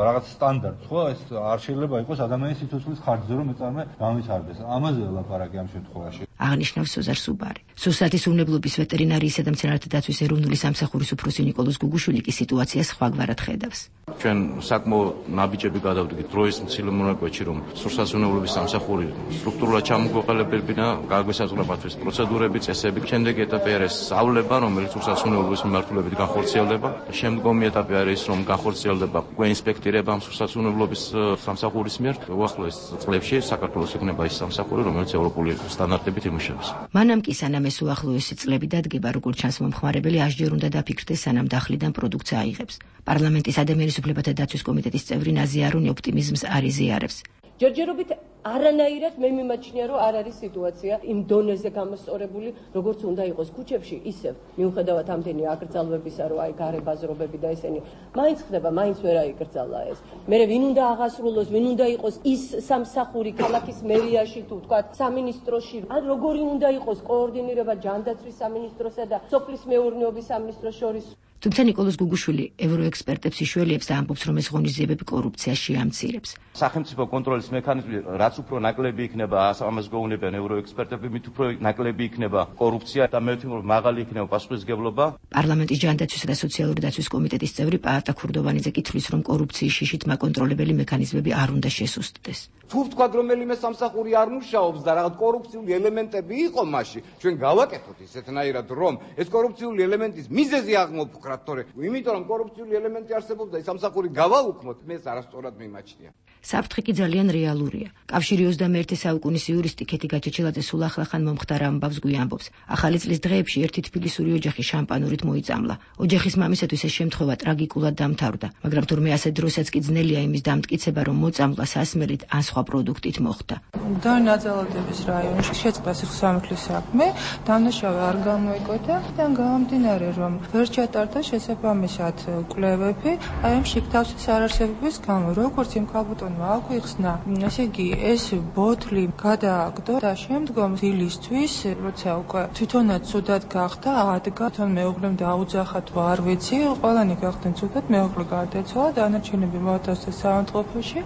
რაღაც სტანდარტს, ხო? ეს არ შეიძლება იყოს ადამიანის სიცოცხლის ხარჯზე, რომ მეწარმე გამვითარდეს. ამაზე ლაპარაკი ამ შემთხვევაში. აღნიშნავს სოზარ სუბარი. სურსათის უვნებლობის ვეტერინარიისა და მცენარეთა დაცვის ეროვნული სამსახურის უფროსი ნიკოლოზ გუგუშვილი კი სიტუაციას სხვაგვარად ხედავს. ჩვენ საკმაოდ ნაბიჯები გადავდგით დროის მცირე მონაკვეთში, რომ სურსათის უვნებლობის სამსახური სტრუქტურულად ჩამოგვეყალებებინა, გაგვესაზღვრებათვის პროცედურები, წესები. შემდეგი ეტაპი არის სწავლება, რომელიც სურსათის უვნებლობის მიმართულებით განხორციელდება. შემდგომი ეტაპი არის, რომ განხორციელდება უკვე ინსპექტირება ამ სურსათის უვნებლობის სამსახურის მიერ. უახლოეს წლებში საქართველოს იქნება ის სამსახური, რომელიც ევროპული სტანდარტებით იმუშავებს. მანამ კი სანამ ეს უახლოესი წლები დადგება, როგორც ჩანს მომხმარებელი ასჯერ უნდა დაფიქრდეს, სანამ დახლიდან პროდუქტს აიღებს. პარლამენტის ადამიანის უფლებათა დაცვის კომიტეტის წევრი ნაზი არუნი ოპტიმიზმს არ იზიარებს. ჯერჯერობით არანაირად მე მიმაჩნია, რომ არ არის სიტუაცია იმ დონეზე გამოსწორებული, როგორც უნდა იყოს ქუჩებში, ისევ მიუხედავად ამდენი აკრძალვებისა, რომ აი გარე ბაზრობები და ესენი მაინც ხდება, მაინც ვერ აიკრძალა ეს. მე ვინ უნდა აღასრულოს, ვინ უნდა იყოს ის სამსახური ქალაქის მერიაში თუ თქვა სამინისტროში, ან როგორი უნდა იყოს კოორდინირება ჯანდაცვის სამინისტროსა და სოფლის მეურნეობის სამინისტროს შორის. თუმცა ნიკოლოზ გუგუშვილი ევროექსპერტებს იშველიებს და ამბობს, რომ ეს ღონისძიებები კორუფციას შეამცირებს. სახელმწიფო კონტროლის მექანიზმი რაც უფრო ნაკლები იქნება, ამას გვეუბნებიან ევროექსპერტები, მით უფრო ნაკლები იქნება კორუფცია და მე ვთქვი, რომ მაღალი იქნება პასუხისმგებლობა. პარლამენტის ჯანდაცვისა და სოციალური დაცვის კომიტეტის წევრი პაატა ქურდოვანიძე კი თვლის, რომ კორუფციის შიშით მაკონტროლებელი მექანიზმები არ უნდა შესუსტდეს. თუ ვთქვათ, რომელიმე სამსახური არ მუშაობს და რაღაც კორუფციული ელემენტები იყო მასში, ჩვენ გავაკეთოთ ისეთნაირად, რომ ეს კორუფციული ელემენტის მიზეზი აღმოფხვრა. იმიტომ რომ კორუფციული ელემენტი არსებობს და სამსახური გავაუქმოთ, მე ეს არასწორად მიმაჩნია. საფრთხე კი ძალიან რეალურია. კავშირი ოცდამეერთე საუკუნის იურისტი ქეთი გაჩეჩილაძე სულ ახლახან მომხდარ ამბავს გვიამბობს. ახალი წლის დღეებში ერთი თბილისური ოჯახი შამპანურით მოიწამლა. ოჯახის მამისათვის ეს შემთხვევა ტრაგიკულად დამთავრდა, მაგრამ თურმე ასე დროსაც კი ძნელია იმის დამტკიცება, რომ მოწამლა სასმელით ან სხვა პროდუქტით მოხდა. დანაწილების რაიონში შეწყდა სიხსამართლის საქმე, დამნაშავე არ გამოიკოთა, და გამომდინარე, რომ ვერ ჩატარდა შესაბამისად კვლევები, აი ამ შიგთავსის არარსებობის გამო, როგორც იმ ქალბატონმა აგვიხსნა, ესე იგი ეს ბოთლი გადააგდო და შემდგომ დილისთვის, როცა უკვე თვითონაც ცუდად გახდა, ადგა, თან მეუღლემ დაუძახა თუ არ ვიცი, ყველანი გახდნენ ცუდად, მეუღლე გარდაიცვალა, დანარჩენები მოათავსეს საავადმყოფოში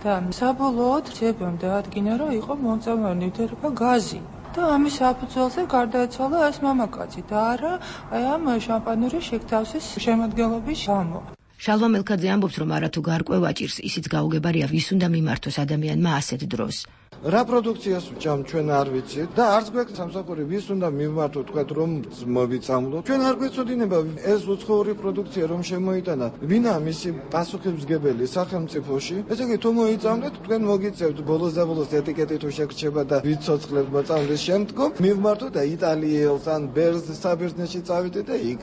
და საბოლოოდ ძებამ დაადგინა, რომ იყო მომწამლავი ნივთიერება გაზი. და ამის საფუძველზე გარდაეცვალა ეს მამაკაცი და არა აი ამ შამპანურის შიგთავსის შემადგენლობის გამო. შალვა მელქაძე ამბობს, რომ არათუ გარკვევა ჭირს, ისიც გაუგებარია ვის უნდა მიმართოს ადამიანმა ასეთ დროს. რა პროდუქციას ვჭამ ჩვენ არ ვიცით და არც გვაქვს სამსახური ვის უნდა მივმართოთ თქვა რომ მოვიწამლოთ. ჩვენ არ გვეცოდინება ეს უცხოური პროდუქცია რომ შემოიტანა ვინა მისი პასუხისმგებელი სახელმწიფოში. ესე იგი თუ მოიწამლეთ თქვენ მოგიწევთ ბოლოს და ბოლოს ეტიკეტი თუ შეგრჩება და ვიცოცხლებთ მოწამვლის შემდგომ მივმართოთ და იტალიელს ან ბერს საბერძნეთში წავიდეთ და იქ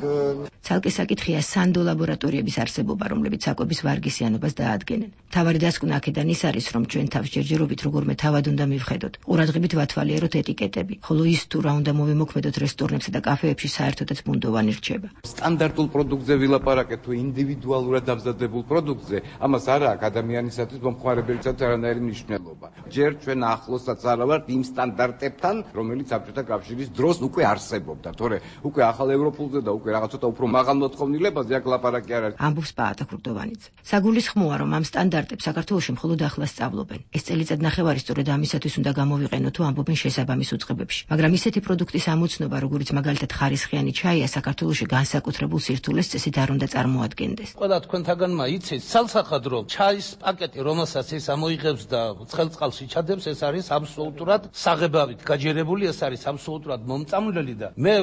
ცალკე საკითხია სანდო ლაბორატორიების არსებობა, რომლებიც საკვების ვარგისიანობას დაადგენენ. თავარი დასკვნა აქედან ის არის, რომ ჩვენ თავს ჯერჯერობით როგორმე თავად უნდა მივხედოთ. ყურადღებით ვათვალიეროთ ეტიკეტები, ხოლო ის თუ რა უნდა მოვიმოქმედოთ რესტორნებსა და კაფეებში საერთოდაც ბუნდოვანი რჩება. სტანდარტულ პროდუქტზე ვილაპარაკეთ თუ ინდივიდუალურად დამზადებულ პროდუქტზე, ამას არ აქვს ადამიანისათვის მომხმარებელისათვის არანაირი მნიშვნელობა. ჯერ ჩვენ ახლოსაც არა ვართ იმ სტანდარტებთან, რომელიც საბჭოთა კავშირის დროს უკვე არსებობდა. თორე უკვე ახალ ევროპულზე და უკვე რაღაც ცოტა უფრო მაღალ მოთხოვნილებაზე აქ ლაპარაკი არ არის. ამბობს პაატა ქურდოვანიძე. საგულისხმოა, რომ ამ სტანდარტებს საქართველოში მხოლოდ ახლა სწავლობენ. ეს წელიწად ნახევარი სწორედ ამისათვის უნდა გამოვიყენო თუ ამბობენ შესაბამის უწყებებში. მაგრამ ისეთი პროდუქტის ამოცნობა, როგორიც მაგალითად ხარისხიანი ჩაია, საქართველოში განსაკუთრებულ სირთულეს წესით არ უნდა წარმოადგენდეს. ყველა თქვენთაგანმა იცით, ცალსახად რომ ჩაის პაკეტი, რომელსაც ეს ამოიღებს და ცხელწყალში ჩადებს, ეს არის აბსოლუტურად საღებავით გაჯერებული, ეს არის აბსოლუტურად მომწამლელი და მე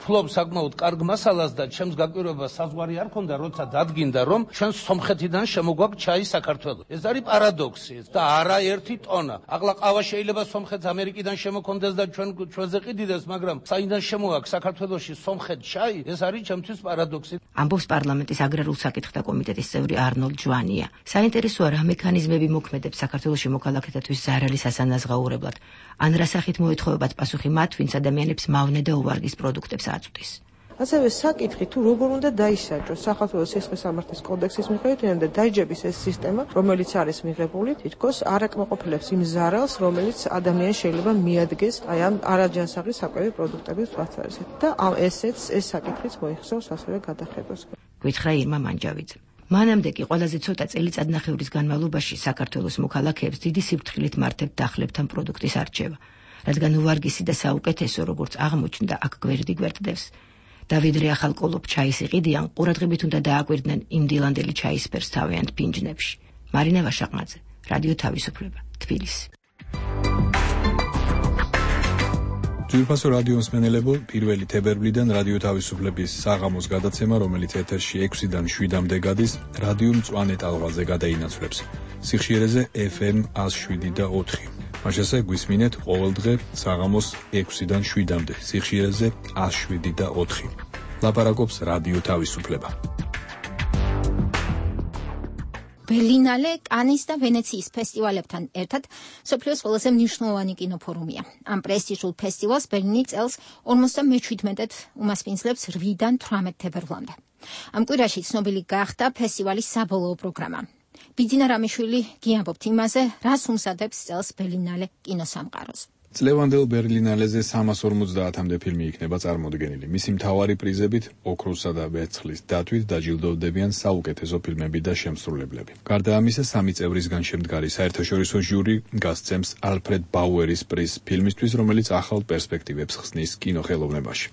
ფლობ საკმაოდ კარგ მასალას და ჩემს გაკვირვება საზღვარი არ ქონდა, როცა დადგინდა, რომ ჩვენ სომხეთიდან შემოგვაქვს ჩაი საქართველოს. ეს არის პარადოქსი და არა ერთი ტონა. ახლა ყავა შეიძლება სომხეთს ამერიკიდან შემოქონდეს და ჩვენ ჩვენზე ყიდიდეს, მაგრამ საიდან შემოაქვს საქართველოში სომხეთ ჩაი, ეს არის ჩემთვის პარადოქსი. ამბობს პარლამენტის აგრარულ საკითხთა კომიტეტის წევრი არნოლდ ჟვანია. საინტერესოა რა მექანიზმები მოქმედებს საქართველოში მოქალაქეთათვის ზარალი სასანაზღაურებლად. ან რა სახით მოეთხოვებათ პასუხი მათ, ვინც ადამიანებს მავნე და უვარგის პროდუქტებს აწვდის. ასევე საკითხი თუ როგორ უნდა დაისაჯოს საქართველოს სისხლის სამართლის კოდექსის მიხედვით და დაიჯების ეს სისტემა, რომელიც არის მიღებული, თითქოს არ აკმაყოფილებს იმ ზარალს, რომელიც ადამიანს შეიძლება მიადგეს აი ამ არაჯანსაღი საკვები პროდუქტების თვალსაზრისით და ამ ესეც ეს საკითხიც მოიხსოვს ასევე გადახედოს. გვითხრა ირმა მანჯავიძე. მანამდე კი ყველაზე ცოტა წელიწადნახევრის განმავლობაში საქართველოს მოქალაქეებს დიდი სიფრთხილით მარდებთ დახლებთან პროდუქტის არჩევა, რადგან უვარგისი და საუკეთესო, როგორც აღმოჩნდა, აქ გვერდი გვერდდებს. დავიდრე ახალ კოლოფ ჩაის იყიდიან, ყურადღებით უნდა დააკვირდნენ იმ დილანდელი ჩაისფერს თავიანთ ფინჯნებში. მარინა ვაშაყმაძე, რადიო თავისუფლება, თბილისი. ძვირფასო რადიო მსმენელებო, პირველი თებერვლიდან რადიო თავისუფლების საღამოს გადაცემა, რომელიც ეთერში ექვსიდან შვიდამდე გადის, რადიო მწვანე ტალღაზე გადაინაცვლებს. სიხშირეზე ეფ ემ ათას შვიდი და ოთხი. მაშასე გვისმინეთ ყოველდღე საღამოს ექვსიდან შვიდამდე, სიხშირეზე ათას შვიდი და ოთხი. ლაპარაკობს რადიო თავისუფლება. ბერლინალე, კანის და ვენეციის ფესტივალებთან ერთად მსოფლიოს ყველაზე მნიშვნელოვანი კინოფორუმია. ამ პრესტიჟულ ფესტივალს ბერლინი წელს ორმოცდამეჩვიდმეტად უმასპინძლებს რვიდან თვრამეტ თებერვლამდე. ამ კვირაში ცნობილი გახდა ფესტივალის საბოლოო პროგრამა. ბიძინა რამიშვილი გიამბობთ იმაზე, რას უმზადებს წელს ბერლინალე კინოსამყაროს. წლევანდელ ბერლინალეზე სამას ორმოცდაათამდე ფილმი იქნება წარმოდგენილი. მისი მთავარი პრიზებით, ოქროსა და ვერცხლის დათვით დაჯილდოვდებიან საუკეთესო ფილმები და შემსრულებლები. გარდა ამისა, სამი წევრისგან შემდგარი საერთაშორისო ჟური გასცემს ალფრედ ბაუერის პრიზს ფილმისთვის, რომელიც ახალ პერსპექტივებს ხსნის კინოხელოვნებაში.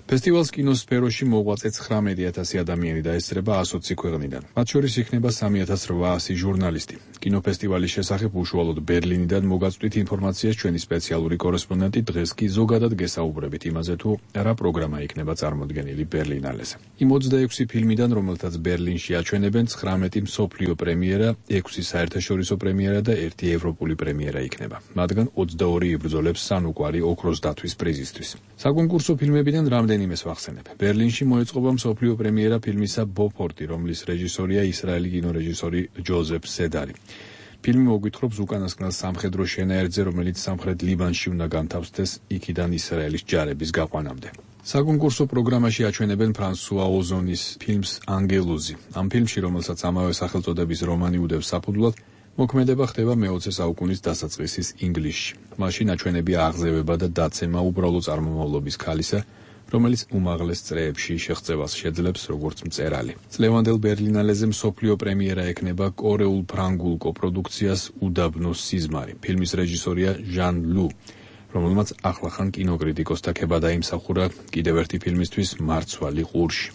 ფესტივალს კინოსფეროში მოღვაწე ცხრამეტი ათასი ადამიანი დაესწრება ოცი ქვეყნიდან. მათ შორის იქნება სამი ათას რვაასი ჟურნალისტი. კინოფესტივალის შესახებ უშუალოდ ბერლინიდან მოგაწვდით ინფორმაციას ჩვენი სპეციალური კორესპონდენტი დღეს კი ზოგადად გესაუბრებით იმაზე თუ რა პროგრამა იქნება წარმოდგენილი ბერლინალეზე. იმ ოცდაექვსი ფილმიდან, რომელთაც ბერლინში აჩვენებენ, ცხრამეტი მსოფლიო პრემიერა, ექვსი საერთაშორისო პრემიერა და ერთი ევროპული პრემიერა იქნება. მათგან ოცდაორი იბრძოლებს სანუკვარი ოქროს დათვის პრიზისთვის. საკონკურსო ფილმებიდან რამდენიმეს ვახსენებ. ბერლინში მოეწყობა მსოფლიო პრემიერა ფილმისა ბოფორტი, რომლის რეჟისორია ისრაელი კინორეჟისორი ჯოზეფ სედარი. ფილმი მოგვითხრობს უკანასკნელ სამხედრო შენაერთზე, რომელიც სამხრეთ ლიბანში უნდა განთავსდეს იქიდან ისრაელის ჯარების გაყვანამდე. საკონკურსო პროგრამაში აჩვენებენ ფრანსუა ოზონის ფილმს ანგელოზი. ამ ფილმში, რომელსაც ამავე სახელწოდების რომანი უდევს საფუძვლად, მოქმედება ხდება მეოცე საუკუნის დასაწყისის ინგლისში. მაშინ აჩვენებია აღზევება და დაცემა უბრალო წარმომავლობის ქალისა, რომელიც უმაღლეს წრეებში შეღწევას შეძლებს როგორც მწერალი. წლევანდელ ბერლინალეზე მსოფლიო პრემიერა ექნება კორეულ ფრანგულ კოპროდუქციას უდაბნო სიზმარი. ფილმის რეჟისორია ჟან ლუ, რომელმაც ახლახან კინოკრიტიკოსთა ქება დაიმსახურა კიდევ ერთი ფილმისთვის მარცვალი ყურში.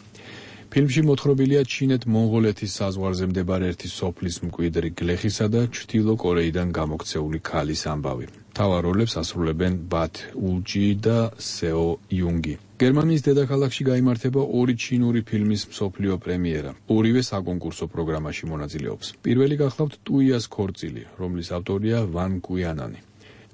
ფილმში მოთხრობილია ჩინეთ-მონღოლეთის საზღვარზე მდებარე ერთი სოფლის მკვიდრი გლეხისა და ჩრდილო კორეიდან გამოქცეული ქალის ამბავი. მთავარ როლებს ასრულებენ ბათ ულჯი და სეო იუნგი. გერმანიის დედაქალაქში გაიმართება ორი ჩინური ფილმის მსოფლიო პრემიერა. ორივე საკონკურსო პროგრამაში მონაწილეობს. პირველი გახლავთ ტუიას ქორწილი, რომლის ავტორია ვან კუიანანი.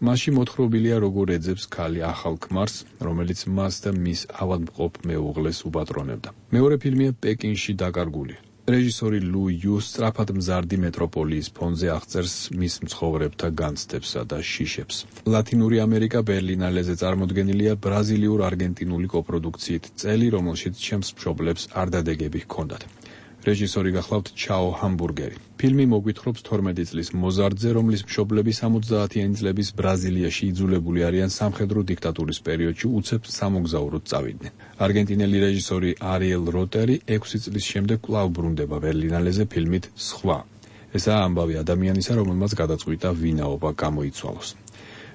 მასში მოთხრობილია როგორ ეძებს ქალი ახალ ქმარს, რომელიც მას და მის ავადმყოფ მეუღლეს უპატრონებდა. მეორე ფილმია პეკინში დაკარგული. რეჟისორი ლუ იუ სწრაფად მზარდი მეტროპოლიის ფონზე აღწერს მის მცხოვრებთა განცდებსა და შიშებს. ლათინური ამერიკა ბერლინალეზე წარმოდგენილია ბრაზილიურ-არგენტინული კოპროდუქციით წელი, რომელშიც ჩემს მშობლებს არდადეგები ჰქონდათ. რეჟისორი გახლავთ ჩაო ჰამბურგერი. ფილმი მოგვითხრობს თორმეტი წლის მოზარდზე, რომლის მშობლები სამოცდაათიანი წლების ბრაზილიაში იძულებული არიან სამხედრო დიქტატურის პერიოდში უცებ სამოგზაუროდ წავიდნენ. არგენტინელი რეჟისორი არიელ როტერი ექვსი წლის შემდეგ კვლავ ბრუნდება ბერლინალეზე ფილმით სხვა. ესაა ამბავი ადამიანისა, რომელმაც გადაწყვიტა ვინაობა გამოიცვალოს.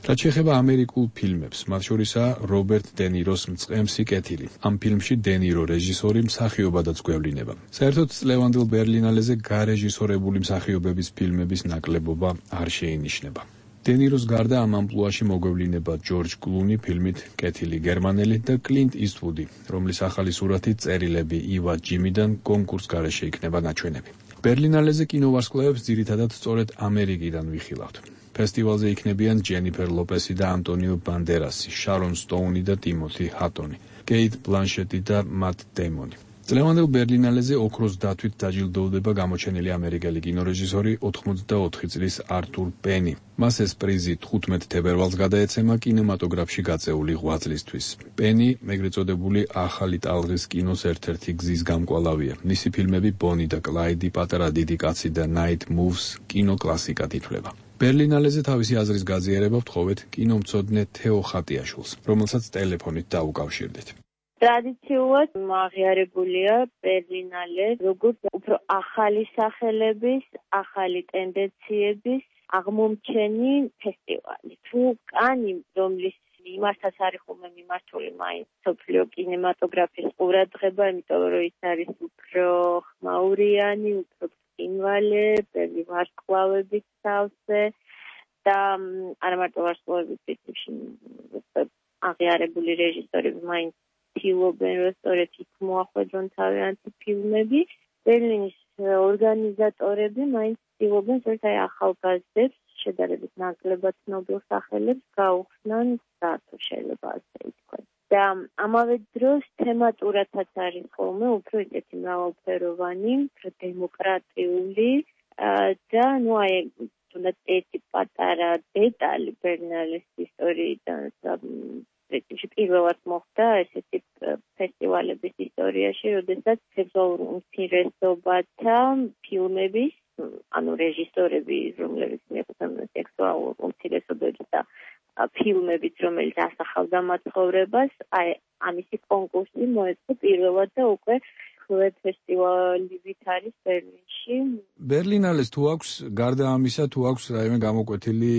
რაც შეეხება ამერიკულ ფილმებს, მათ შორისაა რობერტ დე ნიროს მწყემსი კეთილი. ამ ფილმში დე ნირო რეჟისორი მსახიობადაც გვევლინება. საერთოდ წლევანდელ ბერლინალეზე გარეჟისორებული მსახიობების ფილმების ნაკლებობა არ შეინიშნება. დე ნიროს გარდა ამ ამპლუაში მოგვევლინება ჯორჯ კლუნი ფილმით კეთილი გერმანელი და კლინტ ისტვუდი, რომლის ახალი სურათი წერილები ივა ჯიმიდან კონკურს გარეშე იქნება ნაჩვენები. ბერლინალეზე კინოვარსკვლავებს ძირითადად სწორედ ამერიკიდან ვიხილავთ. ფესტივალზე იქნებიან ჯენიფერ ლოპესი და ანტონიო ბანდერასი, შარონ სტოუნი და ტიმოთი ჰატონი, კეით ბლანშეტი და მათ დეიმონი. წლევანდელ ბერლინალეზე ოქროს დათვით დაჯილდოვდება გამოჩენილი ამერიკელი კინორეჟისორი ოთხმოცდაოთხი წლის არტურ პენი. მას ეს პრიზი თხუთმეტ თებერვალს გადაეცემა კინემატოგრაფში გაწეული ღვაწლისთვის. პენი, ეგრეთ წოდებული ახალი ტალღის კინოს ერთ-ერთი გზის გამკვალავია. მისი ფილმები ბონი და კლაიდი, პატარა დიდი კაცი და ნაით მუვს კინოკლასიკად ითვლება. ბერლინალეზე თავისი აზრის გაზიარება ვთხოვეთ კინომცოდნე თეო ხატიაშვილს, რომელსაც ტელეფონით დაუკავშირდით. ტრადიციულად აღიარებულია ბერლინალე როგორც უფრო ახალი სახელების, ახალი ტენდენციების აღმომჩენი ფესტივალი. თუ კანი, რომლის იმასაც არის ხოლმე მიმართული მაინც მსოფლიო კინემატოგრაფის ყურადღება, იმიტომ რომ ის არის უფრო ხმაურიანი, უფრო ინვალე, ბევრი ვარსკვლავების თავზე და არა მარტო ვარსკვლავების პრინციპში აღიარებული რეჟისორები მაინც ცდილობენ, რომ სწორედ იქ მოახვედრონ თავიანთი ფილმები. ბერლინის ორგანიზატორები მაინც ცდილობენ, სწორედ აი ახალგაზრდებს, შედარებით ნაკლებად ცნობილ სახელებს გაუხსნან საერთოდ შეიძლება ასე ითქვას. და ამავე დროს თემატურათაც არის ხოლმე უფრო ისეთი მრავალფეროვანი, უფრო დემოკრატიული და ნუ აი თუნდაც ერთი პატარა დეტალი ბერლინალეს ისტორიიდან პრინციპში პირველად მოხდა ესეთი ფესტივალების ისტორიაში, როდესაც სექსუალურ უმცირესობათა ფილმების, ანუ რეჟისორები, რომლებიც მიეყვნენ სექსუალურ უმცირესობებს და ფილმებით, რომელიც ასახავდა მათ ცხოვრებას, აი ამისი კონკურსი მოეწყო პირველად და უკვე ხლეთ ფესტივალივით არის ბერლინში. ბერლინალეს თუ აქვს გარდა ამისა, თუ აქვს რაიმე გამოკვეთილი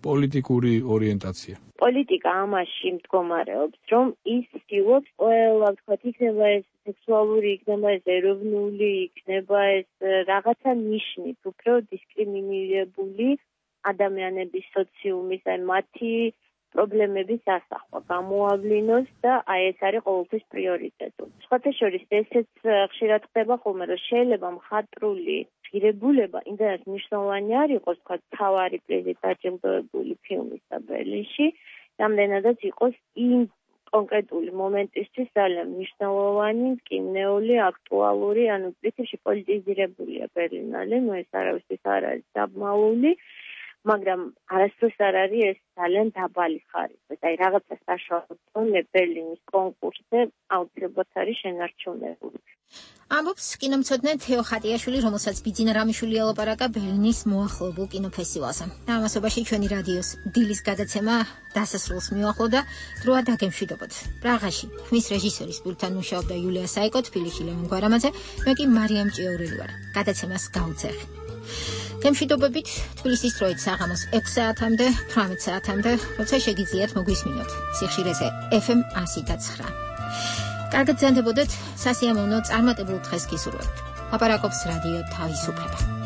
პოლიტიკური ორიენტაცია? პოლიტიკა ამაში მდგომარეობს, რომ ის ცდილობს ყველა, ვთქვათ, იქნება ეს სექსუალური, იქნება ეს ეროვნული, იქნება ეს რაღაცა ნიშნით, უფრო დისკრიმინირებული ადამიანების სოციუმის, აი მათი პრობლემების ასახვა გამოავლინოს და აი ეს არის ყოველთვის პრიორიტეტი. სხვათა შორის ესეც ხშირად ხდება ხოლმე, რომ შეიძლება მხატვრული ღირებულება იმდენად მნიშვნელოვანი არ იყოს, თქვა თავარი პრიზით დაჯილდოებული ფილმისა ბერლინში, რამდენადაც იყოს იმ კონკრეტული მომენტისთვის ძალიან მნიშვნელოვანი, მტკივნეული, აქტუალური, ანუ პრინციპში პოლიტიზირებულია ბერლინალე, ნუ ეს არავისთვის არ არის დაბმაული. მაგრამ არასდროს არ არის ეს ძალიან დაბალი ხარისხის. აი რაღაცა საშუალო ბერლინის კონკურსზე აუცილებლად არის შენარჩუნებული. ამბობს კინომცოდნე თეო ხატიაშვილი, რომელსაც ბიძინა რამიშვილი ელაპარაკა ბერლინის მოახლოებულ კინოფესტივალზე. ამასობაში ჩვენი რადიოს დილის გადაცემა დასასრულს მიუახლოვდა, დროა დაგემშვიდობოთ. პრაღაში ხმის რეჟისორის პულტთან მუშაობდა იულია საიკო, თბილისში ლევან გვარამაძე, მე კი მარიამ ჭიაურელი ვარ. გადაცემას გავუძახი. გემშვიდობებით თბილისის დროით საღამოს ექვს საათამდე, თვრამეტ საათამდე, როცა შეგიძლიათ მოგვისმინოთ სიხშირეზე ეფ ემ ასი და ცხრა. კარგად ზანდებოდეთ სასიამოვნო წარმატებულ დღეს გისურვებთ. ლაპარაკობს რადიო თავისუფლება.